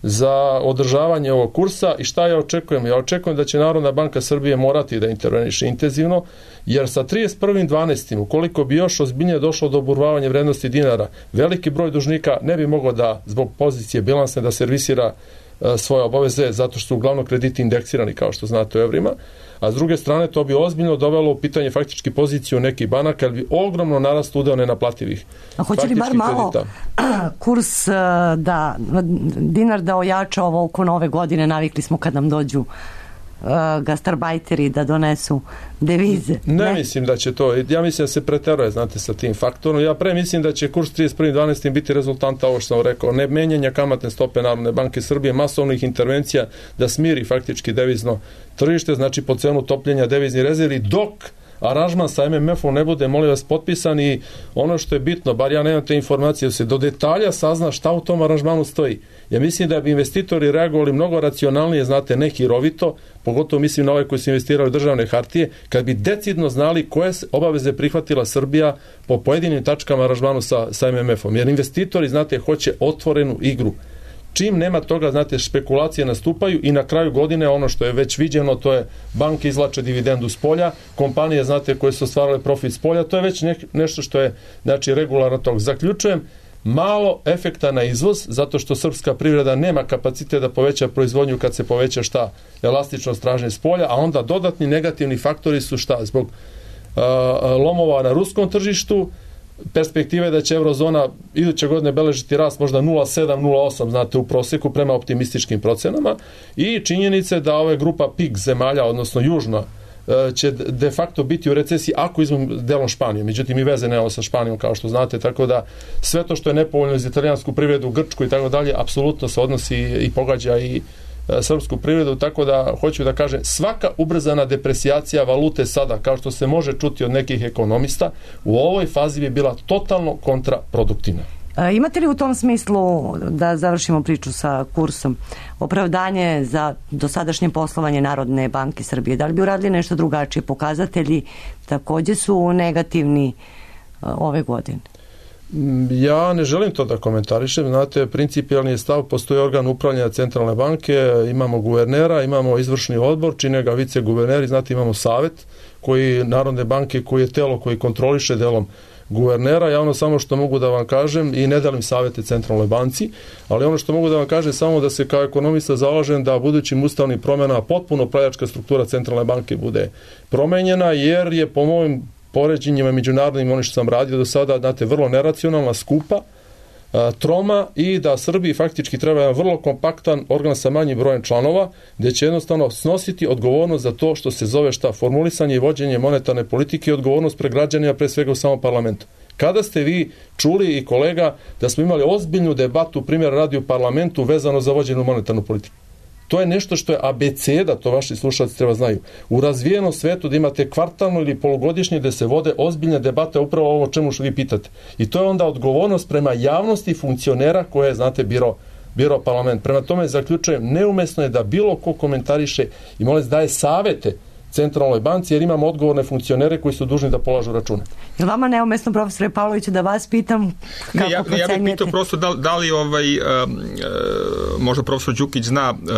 za održavanje ovog kursa. I šta ja očekujem? Ja očekujem da će Narodna banka Srbije morati da interveniše intenzivno, jer sa trideset prvog decembra ukoliko bi još ozbiljnije došlo do oburvavanja vrednosti dinara, veliki broj dužnika ne bi mogao da, zbog pozicije bilansne, da servisira uh, svoje obaveze, zato što su uglavnom krediti indeksirani, kao što znate, u evrima, a s druge strane to bi ozbiljno dovelo u pitanje faktički poziciju nekih banaka, jer bi ogromno narast udeo nenaplativih. A hoće li bar malo kurs da, dinar da ojača ovo oko nove godine? Navikli smo kad nam dođu uh, gastarbajteri da donesu devize. Ne, ne mislim da će to, ja mislim da se preteruje, znate, sa tim faktorom. Ja pre mislim da će kurs trideset prvog decembra biti rezultanta, ovo što sam rekao, ne menjanja kamatne stope Narodne banke Srbije, masovnih intervencija da smiri faktički devizno tržište, znači po cenu topljenja deviznih rezervi, dok aranžman sa M M F-om ne bude, molim vas, potpisan. I ono što je bitno, bar ja nemam te informacije, da se do detalja sazna šta u tom aranžmanu stoji. Ja mislim da bi investitori reagovali mnogo racionalnije, znate, ne hirovito, pogotovo mislim na ove koji su investirali u državne hartije, kad bi decidno znali koje obaveze prihvatila Srbija po pojedinim tačkama aranžmanu sa, sa M M F-om. Jer investitori, znate, hoće otvorenu igru. Čim nema toga, znate, špekulacije nastupaju i na kraju godine ono što je već viđeno, to je banke izvlače dividendu s polja, kompanije, znate, koje su stvarale profit s polja, to je već ne, nešto što je, znači, regularno tog. Zaključujem, malo efekta na izvoz, zato što srpska privreda nema kapacitet da poveća proizvodnju kad se poveća šta? Elastičnost tražnje s polja, a onda dodatni negativni faktori su šta? Zbog uh, lomova na ruskom tržištu, perspektive da će eurozona iduće godine beležiti rast možda nula zarez sedam, nula zarez osam, znate, u prosjeku prema optimističkim procenama, i činjenice da ova grupa P I G zemalja, odnosno južna, će de facto biti u recesiji ako izmem delom Španije. Međutim, i veze nemamo sa Španijom, kao što znate, tako da sve to što je nepovoljno za italijansku privredu, Grčku i tako dalje, apsolutno se odnosi i pogađa i srpsku privredu, tako da hoću da kažem, svaka ubrzana depresijacija valute sada, kao što se može čuti od nekih ekonomista, u ovoj fazi bi bila totalno kontraproduktivna. E, imate li u tom smislu, da završimo priču sa kursom, opravdanje za dosadašnje poslovanje Narodne banke Srbije? Da li bi uradili nešto drugačije? Pokazatelji takođe su negativni ove godine. Ja ne želim to da komentarišem, znate, principijalni je stav, postoji organ upravljanja centralne banke, imamo guvernera, imamo izvršni odbor, čine ga viceguverneri, znate, imamo savet koji Narodne banke, koji je telo koji kontroliše delom guvernera. Ja ono samo što mogu da vam kažem, i ne delim savete centralnoj banci, ali ono što mogu da vam kažem samo da se kao ekonomista zalažem da budućim ustavnim promjenama potpuno upravljačka struktura centralne banke bude promenjena, jer je po mojim poređenjima međunarodnim, ono što sam radio do sada, znate, vrlo neracionalna, skupa, troma, i da Srbiji faktički treba jedan vrlo kompaktan organ sa manjim brojem članova, gdje će jednostavno snositi odgovornost za to što se zove šta, formulisanje i vođenje monetarne politike i odgovornost pre građanima, pre svega u samom parlamentu. Kada ste vi čuli, i kolega, da smo imali ozbiljnu debatu, primjer radi u parlamentu, vezano za vođenu monetarnu politiku? To je nešto što je abeceda, to vaši slušalci treba znaju. U razvijenom svetu da imate kvartalno ili polugodišnje da se vode ozbiljne debate upravo ovo o čemu što vi pitate. I to je onda odgovornost prema javnosti funkcionera koje je, znate, biro, biro parlament. Prema tome zaključujem, neumesno je da bilo ko komentariše i molim daje savete centralnoj banci, jer imamo odgovorne funkcionere koji su dužni da polažu račune. Je vama neumesno, profesore Pavloviću, da vas pitam kako ne, ja, procenjujete? Ja bih pitao prosto da, da li ovaj, uh, uh, možda profesor Đukić zna, uh,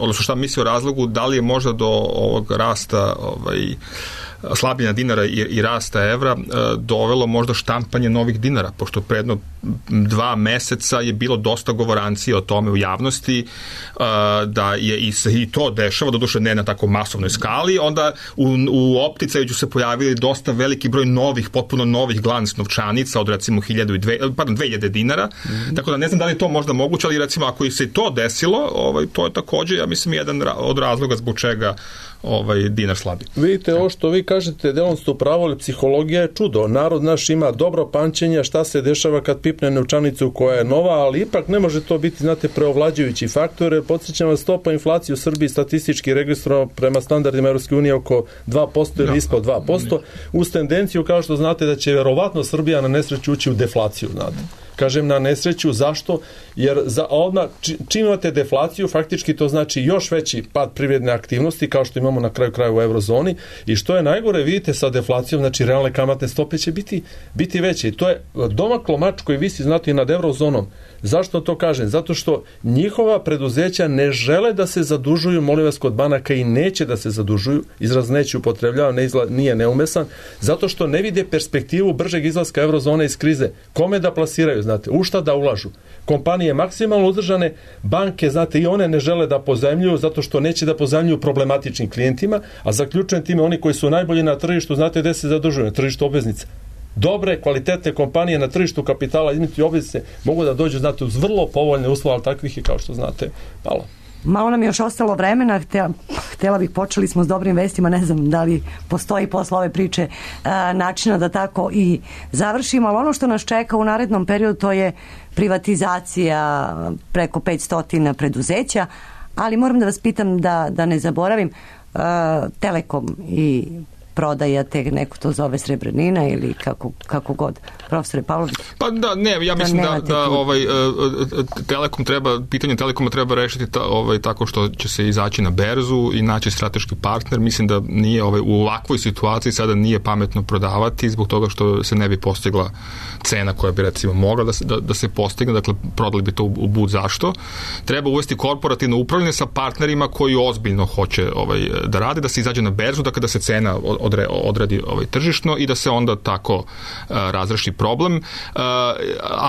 odnosno šta misli o razlogu, da li je možda do ovog rasta ovaj, slabljenja dinara i, i rasta evra uh, dovelo možda štampanje novih dinara, pošto predno dva meseca je bilo dosta govorancije o tome u javnosti, uh, da je i, i to dešava, doduše ne na tako masovnoj skali, onda u, u opticaju se pojavili dosta veliki broj novih, potpuno novih glans novčanica od recimo hiljadu i dve, pardon, dve hiljade dinara, mm-hmm. Tako da ne znam da li je to možda moguće, ali recimo ako i se to desilo, ovaj, to je takođe, ja mislim, jedan od razloga zbog čega ovaj dinar slabi. Vidite, ovo što vi kažete, delom ste upravo, ali psihologija je čudo. Narod naš ima dobro pamćenje šta se dešava kad pipne novčanicu koja je nova, ali ipak ne može to biti, znate, preovlađujući faktor. Podsjećam vas, stopa inflacije u Srbiji statistički registrovano prema standardima Evropske unije oko dva posto ili ispod dva posto, uz tendenciju, kao što znate, da će verovatno Srbija na nesreću ući u deflaciju, znate. Kažem na nesreću, zašto? Jer za odmah, čim imate deflaciju, faktički to znači još veći pad privredne aktivnosti, kao što imamo na kraju kraja u eurozoni, i što je najgore, vidite, sa deflacijom, znači realne kamatne stope će biti, biti veće. I to je domaklo mač koji visi, znate, i nad eurozonom. Zašto to kažem? Zato što njihova preduzeća ne žele da se zadužuju, molim vas, kod banaka, i neće da se zadužuju, izraz neće upotrebljava, ne izla, nije neumesan, zato što ne vide perspektivu bržeg izlaska eurozone iz krize. Kome da plasiraju, znate, u šta da ulažu? Kompanije maksimalno udržane, banke, znate, i one ne žele da pozajmljuju zato što neće da pozajmljuju problematičnim klijentima, a zaključujem time oni koji su najbolji na tržištu, znate gde se zadužuju? Na tržištu obveznica. Dobre, kvalitetne kompanije na tržištu kapitala između obveznice mogu da dođu, znate, uz vrlo povoljne uslove, ali takvih je, kao što znate, malo. Malo nam je još ostalo vremena, htjela, htjela bih, počeli smo s dobrim vestima, ne znam da li postoji posle ove priče a, načina da tako i završimo, ali ono što nas čeka u narednom periodu to je privatizacija preko petsto preduzeća, ali moram da vas pitam da, da ne zaboravim, a, Telekom i prodaja, te neko to zove srebrnina ili kako, kako god. Profesore Pavlović. Pa da, ne, ja mislim da, da, da ovaj, Telekom treba, pitanje Telekoma treba rešiti ta, ovaj, tako što će se izaći na berzu i naći strateški partner. Mislim da nije ovaj, u ovakvoj situaciji sada nije pametno prodavati zbog toga što se ne bi postigla cena koja bi recimo mogla da se, da, da se postigne, dakle prodali bi to u, u bud zašto. Treba uvesti korporativno upravljanje sa partnerima koji ozbiljno hoće ovaj, da rade, da se izađe na berzu, dakle da se cena odre, odradi ovaj, tržišno i da se onda tako uh, razreši problem. Uh, a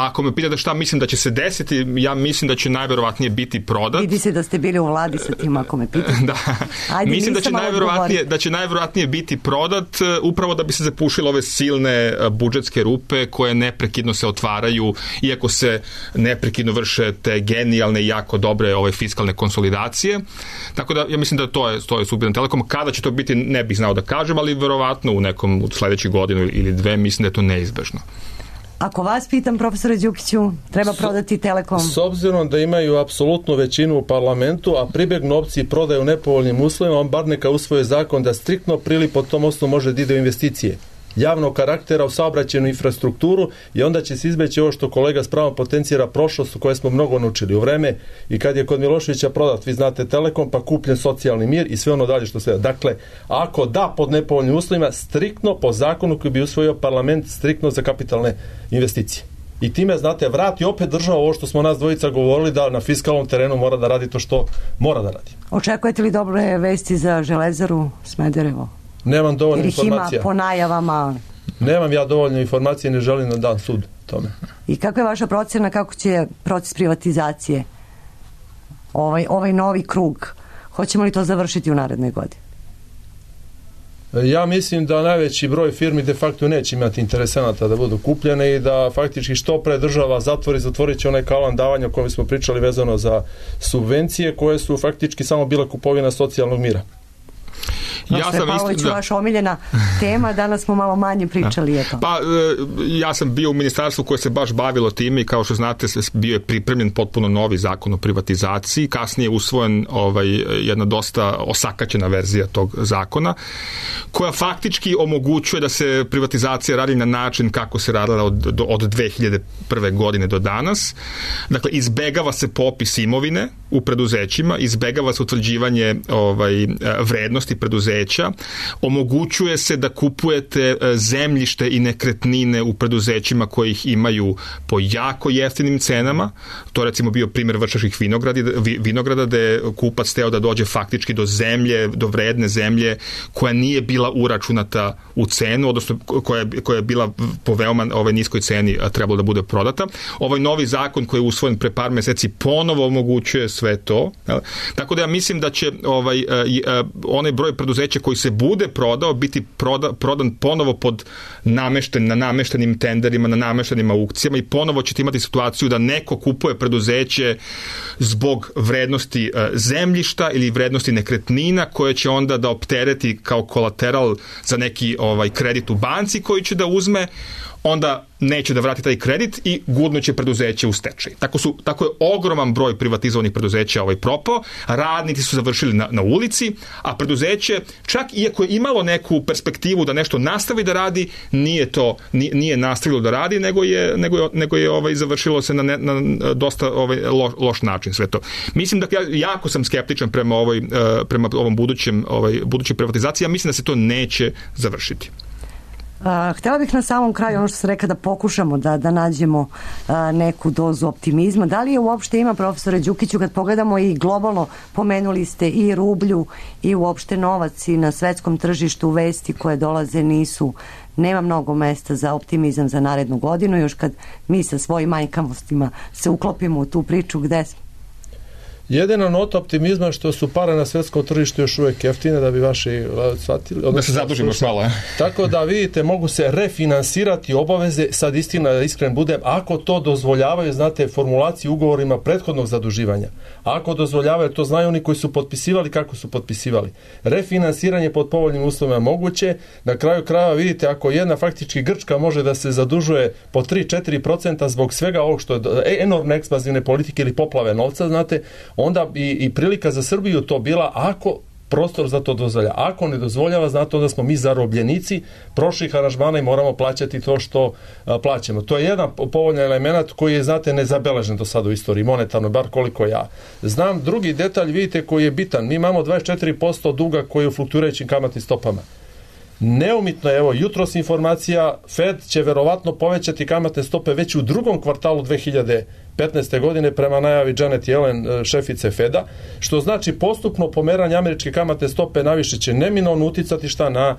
ako me pitate šta mislim da će se desiti, ja mislim da će najverovatnije biti prodat. Vidi se da ste bili u vladi sa tim, ako me pitate. Da. Ajde, mislim da će, najverovatnije, da će najverovatnije biti prodat uh, upravo da bi se zapušile ove silne uh, budžetske rupe koje neprekidno se otvaraju, iako se neprekidno vrše te genijalne i jako dobre ove fiskalne konsolidacije. Tako da ja mislim da to je, to je sudbina Telekoma. Kada će to biti, ne bih znao da kažem, ali verovatno u nekom od sledećih godinu ili dve, mislim da je to neizbežno. Ako vas pitam, profesore Đukiću, treba prodati Telekom? S obzirom da imaju apsolutnu većinu u parlamentu, a pribegnu opciji prodaju u nepovoljnim uslovima, on bar neka usvoje zakon da striktno prili po tom osnovu može da ide u investicije javnog karaktera u saobraćajnu infrastrukturu i onda će se izbeći ovo što kolega s pravom potencijera prošlost u kojoj smo mnogo naučili u vreme i kad je kod Miloševića prodat, vi znate Telekom, pa kupljen socijalni mir i sve ono dalje što sve. Dakle, ako da pod nepovoljnim uslovima, striktno po zakonu koji bi usvojio parlament, striktno za kapitalne investicije. I time, znate, vrati opet država ovo što smo nas dvojica govorili da na fiskalnom terenu mora da radi to što mora da radi. Očekujete li dobre vesti za Železaru Smederevo? Nemam dovoljno informacija. Jer ih ima po najavama. Nemam ja dovoljno informacije, ne želim da dam sud tome. I kakva je vaša procena, kako će proces privatizacije, ovaj, ovaj novi krug, hoćemo li to završiti u narednoj godini? Ja mislim da najveći broj firmi de facto neće imati interesenata da budu kupljene i da faktički što pre država zatvori, zatvorit će onaj kalan davanja o kojem smo pričali vezano za subvencije koje su faktički samo bila kupovina socijalnog mira. Ja sam Pavlović, da. Vaša omiljena tema, danas smo malo manje pričali. Eto. Pa, ja sam bio u ministarstvu koje se baš bavilo time i kao što znate bio je pripremljen potpuno novi zakon o privatizaciji, kasnije je usvojen ovaj, jedna dosta osakaćena verzija tog zakona, koja faktički omogućuje da se privatizacija radi na način kako se radila od, od dve hiljade prve godine do danas. Dakle, izbegava se popis imovine u preduzećima, izbegava se utvrđivanje ovaj, vrednosti preduzeća, omogućuje se da kupujete zemljište i nekretnine u preduzećima koji ih imaju po jako jeftinim cenama. To je recimo bio primjer Vršačkih vinograda, gde je kupac teo da dođe faktički do zemlje, do vredne zemlje koja nije bila uračunata u cenu, odnosno koja, koja je bila po veoma ovaj, niskoj ceni trebalo da bude prodata. Ovaj novi zakon koji je usvojen pre par meseci ponovo omogućuje sve to. Tako da ja mislim da će ovaj, onaj broj preduzeća koji se bude prodao biti proda, prodan ponovo pod namešten, na nameštenim tenderima, na nameštenim aukcijama i ponovo ćete imati situaciju da neko kupuje preduzeće zbog vrednosti uh, zemljišta ili vrednosti nekretnina koje će onda da optereti kao kolateral za neki ovaj kredit u banci koji će da uzme, onda neće da vrati taj kredit i gurnuće preduzeće u stečaj. Tako, su, tako je ogroman broj privatizovanih preduzeća ovaj propao, radnici su završili na, na ulici, a preduzeće, čak iako je imalo neku perspektivu da nešto nastavi da radi, nije to, nije, nije nastavilo da radi, nego je, nego je, nego je ovaj, završilo se na, ne, na dosta ovaj, lo, loš način sve to. Mislim da ja jako sam skeptičan prema, ovoj, prema ovom budućem, ovaj, budućoj privatizaciji, ja mislim da se to neće završiti. Uh, htjela bih na samom kraju, ono što sam rekla, da pokušamo da, da nađemo uh, neku dozu optimizma. Da li je uopšte ima, profesore Đukiću, kad pogledamo i globalno, pomenuli ste i rublju i uopšte novac i na svetskom tržištu vesti koje dolaze nisu, nema mnogo mesta za optimizam za narednu godinu, još kad mi sa svojim manjkavostima se uklopimo u tu priču gde smo. Jedina nota optimizma što su pare na svetskom tržištu još uvijek jeftine, da bi vaši shvatili. Da se zadužimo još malo. Tako da vidite, mogu se refinansirati obaveze, sad istina da iskren budem, ako to dozvoljavaju, znate, formulaciju ugovorima prethodnog zaduživanja. Ako dozvoljavaju, to znaju oni koji su potpisivali, kako su potpisivali. Refinansiranje pod povoljnim uslovima moguće. Na kraju krajeva vidite, ako jedna faktički Grčka može da se zadužuje po tri do četiri procenta zbog svega ovog što je enormne ekspanzivne politike ili poplave novca, znate, onda bi i prilika za Srbiju to bila ako prostor za to dozvolja. Ako ne dozvoljava, znate, onda smo mi zarobljenici prošlih aranžmana i moramo plaćati to što a, plaćamo. To je jedan povoljan element koji je, znate, nezabeležen do sada u istoriji, monetarno, bar koliko ja znam. Drugi detalj, vidite, koji je bitan. Mi imamo dvadeset četiri posto duga koji je u fluktuirajućim kamatnim stopama. Neumitno je, evo, jutros informacija, Fed će verovatno povećati kamatne stope već u drugom kvartalu dve hiljade petnaeste. godine prema najavi Janet Yellen, šefice Feda, što znači postupno pomeranje američke kamatne stope naviše će neminovno uticati šta na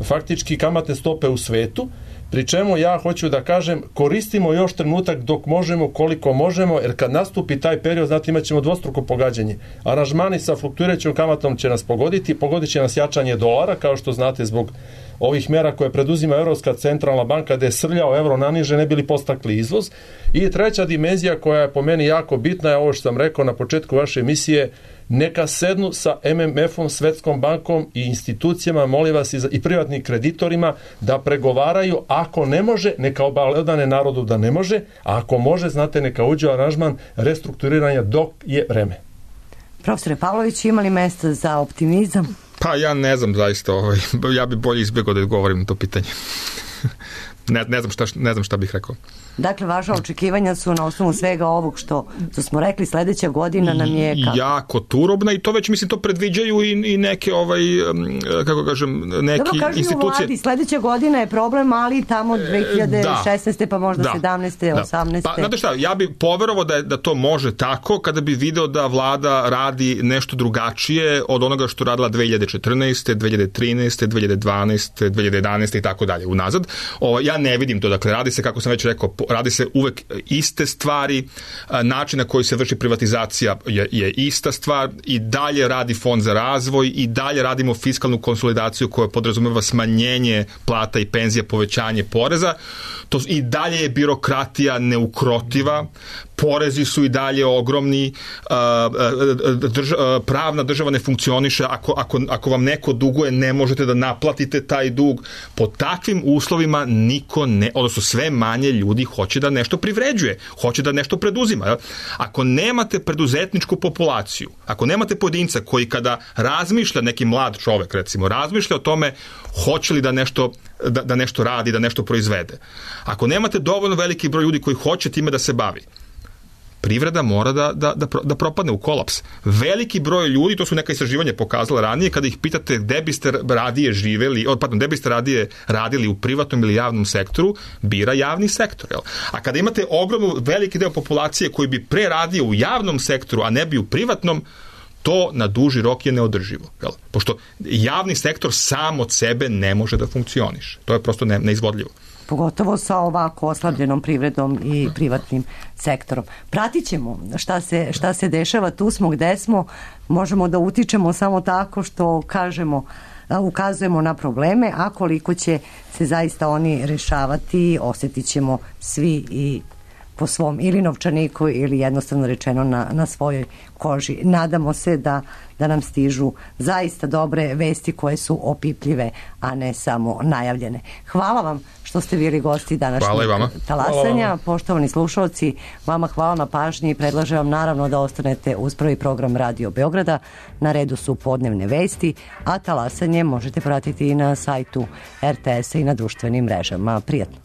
faktički kamatne stope u svetu, pri čemu ja hoću da kažem koristimo još trenutak dok možemo, koliko možemo, jer kad nastupi taj period, znate, imat ćemo dvostruko pogađanje. Aranžmani sa fluktuirajućom kamatom će nas pogoditi, pogodit će nas jačanje dolara, kao što znate, zbog ovih mera koje preduzima Evropska centralna banka, da je srljao evro naniže, ne bili postakli izvoz. I treća dimenzija koja je po meni jako bitna je ovo što sam rekao na početku vaše emisije, neka sednu sa M M F-om, Svetskom bankom i institucijama, molim vas, i, za, i privatnim kreditorima da pregovaraju. Ako ne može, neka obavljene narodu da ne može, a ako može, znate, neka uđe u aranžman restrukturiranja dok je vreme. Profesore Pavlović, ima li mesta za optimizam? Pa ja ne znam zaista, ovaj, ja bi bolje izbjegao da odgovorim na to pitanje. ne, ne, znam šta, ne znam šta bih rekao. Dakle, vaša očekivanja su na osnovu svega ovog što, što smo rekli, sledeća godina nam je kako? Jako turobna i to već, mislim, to predviđaju i, i neke, ovaj, kako kažem, neki Dobro, kažu institucije. U vladi, sledeća godina je problem, ali tamo dve hiljade šesnaeste Da. Pa možda da. sedamnaeste Da. osamnaeste Pa, znate šta, ja bi poverovao da, da to može tako kada bi video da vlada radi nešto drugačije od onoga što radila dve hiljade četrnaeste, dve hiljade trinaeste, dve hiljade dvanaeste, dve hiljade jedanaeste i tako dalje unazad. O, ja ne vidim to, dakle, radi se, kako sam već rekao, radi se uvek iste stvari, način na koji se vrši privatizacija je, je ista stvar, i dalje radi fond za razvoj, i dalje radimo fiskalnu konsolidaciju koja podrazumeva smanjenje plata i penzija, povećanje poreza. To i dalje je birokratija neukrotiva, porezi su i dalje ogromni, drža, pravna država ne funkcioniše, ako, ako, ako vam neko duguje, ne možete da naplatite taj dug. Po takvim uslovima niko ne, odnosno sve manje ljudi hoće da nešto privređuje, hoće da nešto preduzima. Ako nemate preduzetničku populaciju, ako nemate pojedinca koji kada razmišlja, neki mlad čovek recimo, razmišlja o tome hoće li da nešto, da, da nešto radi, da nešto proizvede. Ako nemate dovoljno veliki broj ljudi koji hoće time da se bavi, privreda mora da, da, da, da propadne u kolaps. Veliki broj ljudi, to su neka istraživanja pokazala ranije, kada ih pitate gde biste radije živeli, pardon, gde biste radije radili, u privatnom ili javnom sektoru, bira javni sektor. Jel? A kada imate ogromnu, veliki deo populacije koji bi pre radio u javnom sektoru, a ne bi u privatnom, to na duži rok je neodrživo. Jel? Pošto javni sektor sam od sebe ne može da funkcioniše. To je prosto ne, neizvodljivo. Pogotovo sa ovako oslabljenom privredom i privatnim sektorom. Pratit ćemo šta se, šta se dešava, tu smo gde smo, možemo da utičemo samo tako što kažemo, ukazujemo na probleme, a koliko će se zaista oni rešavati, osjetit ćemo svi i po svom ili novčaniku ili jednostavno rečeno na, na svojoj koži. Nadamo se da, da nam stižu zaista dobre vesti koje su opipljive, a ne samo najavljene. Hvala vam što ste bili gosti današnjeg talasanja. Poštovani slušalci, vama hvala na pažnji i predlažem vam naravno da ostanete uz prvi program Radio Beograda. Na redu su podnevne vesti, a talasanje možete pratiti i na sajtu R T S-a i na društvenim mrežama. Prijatno.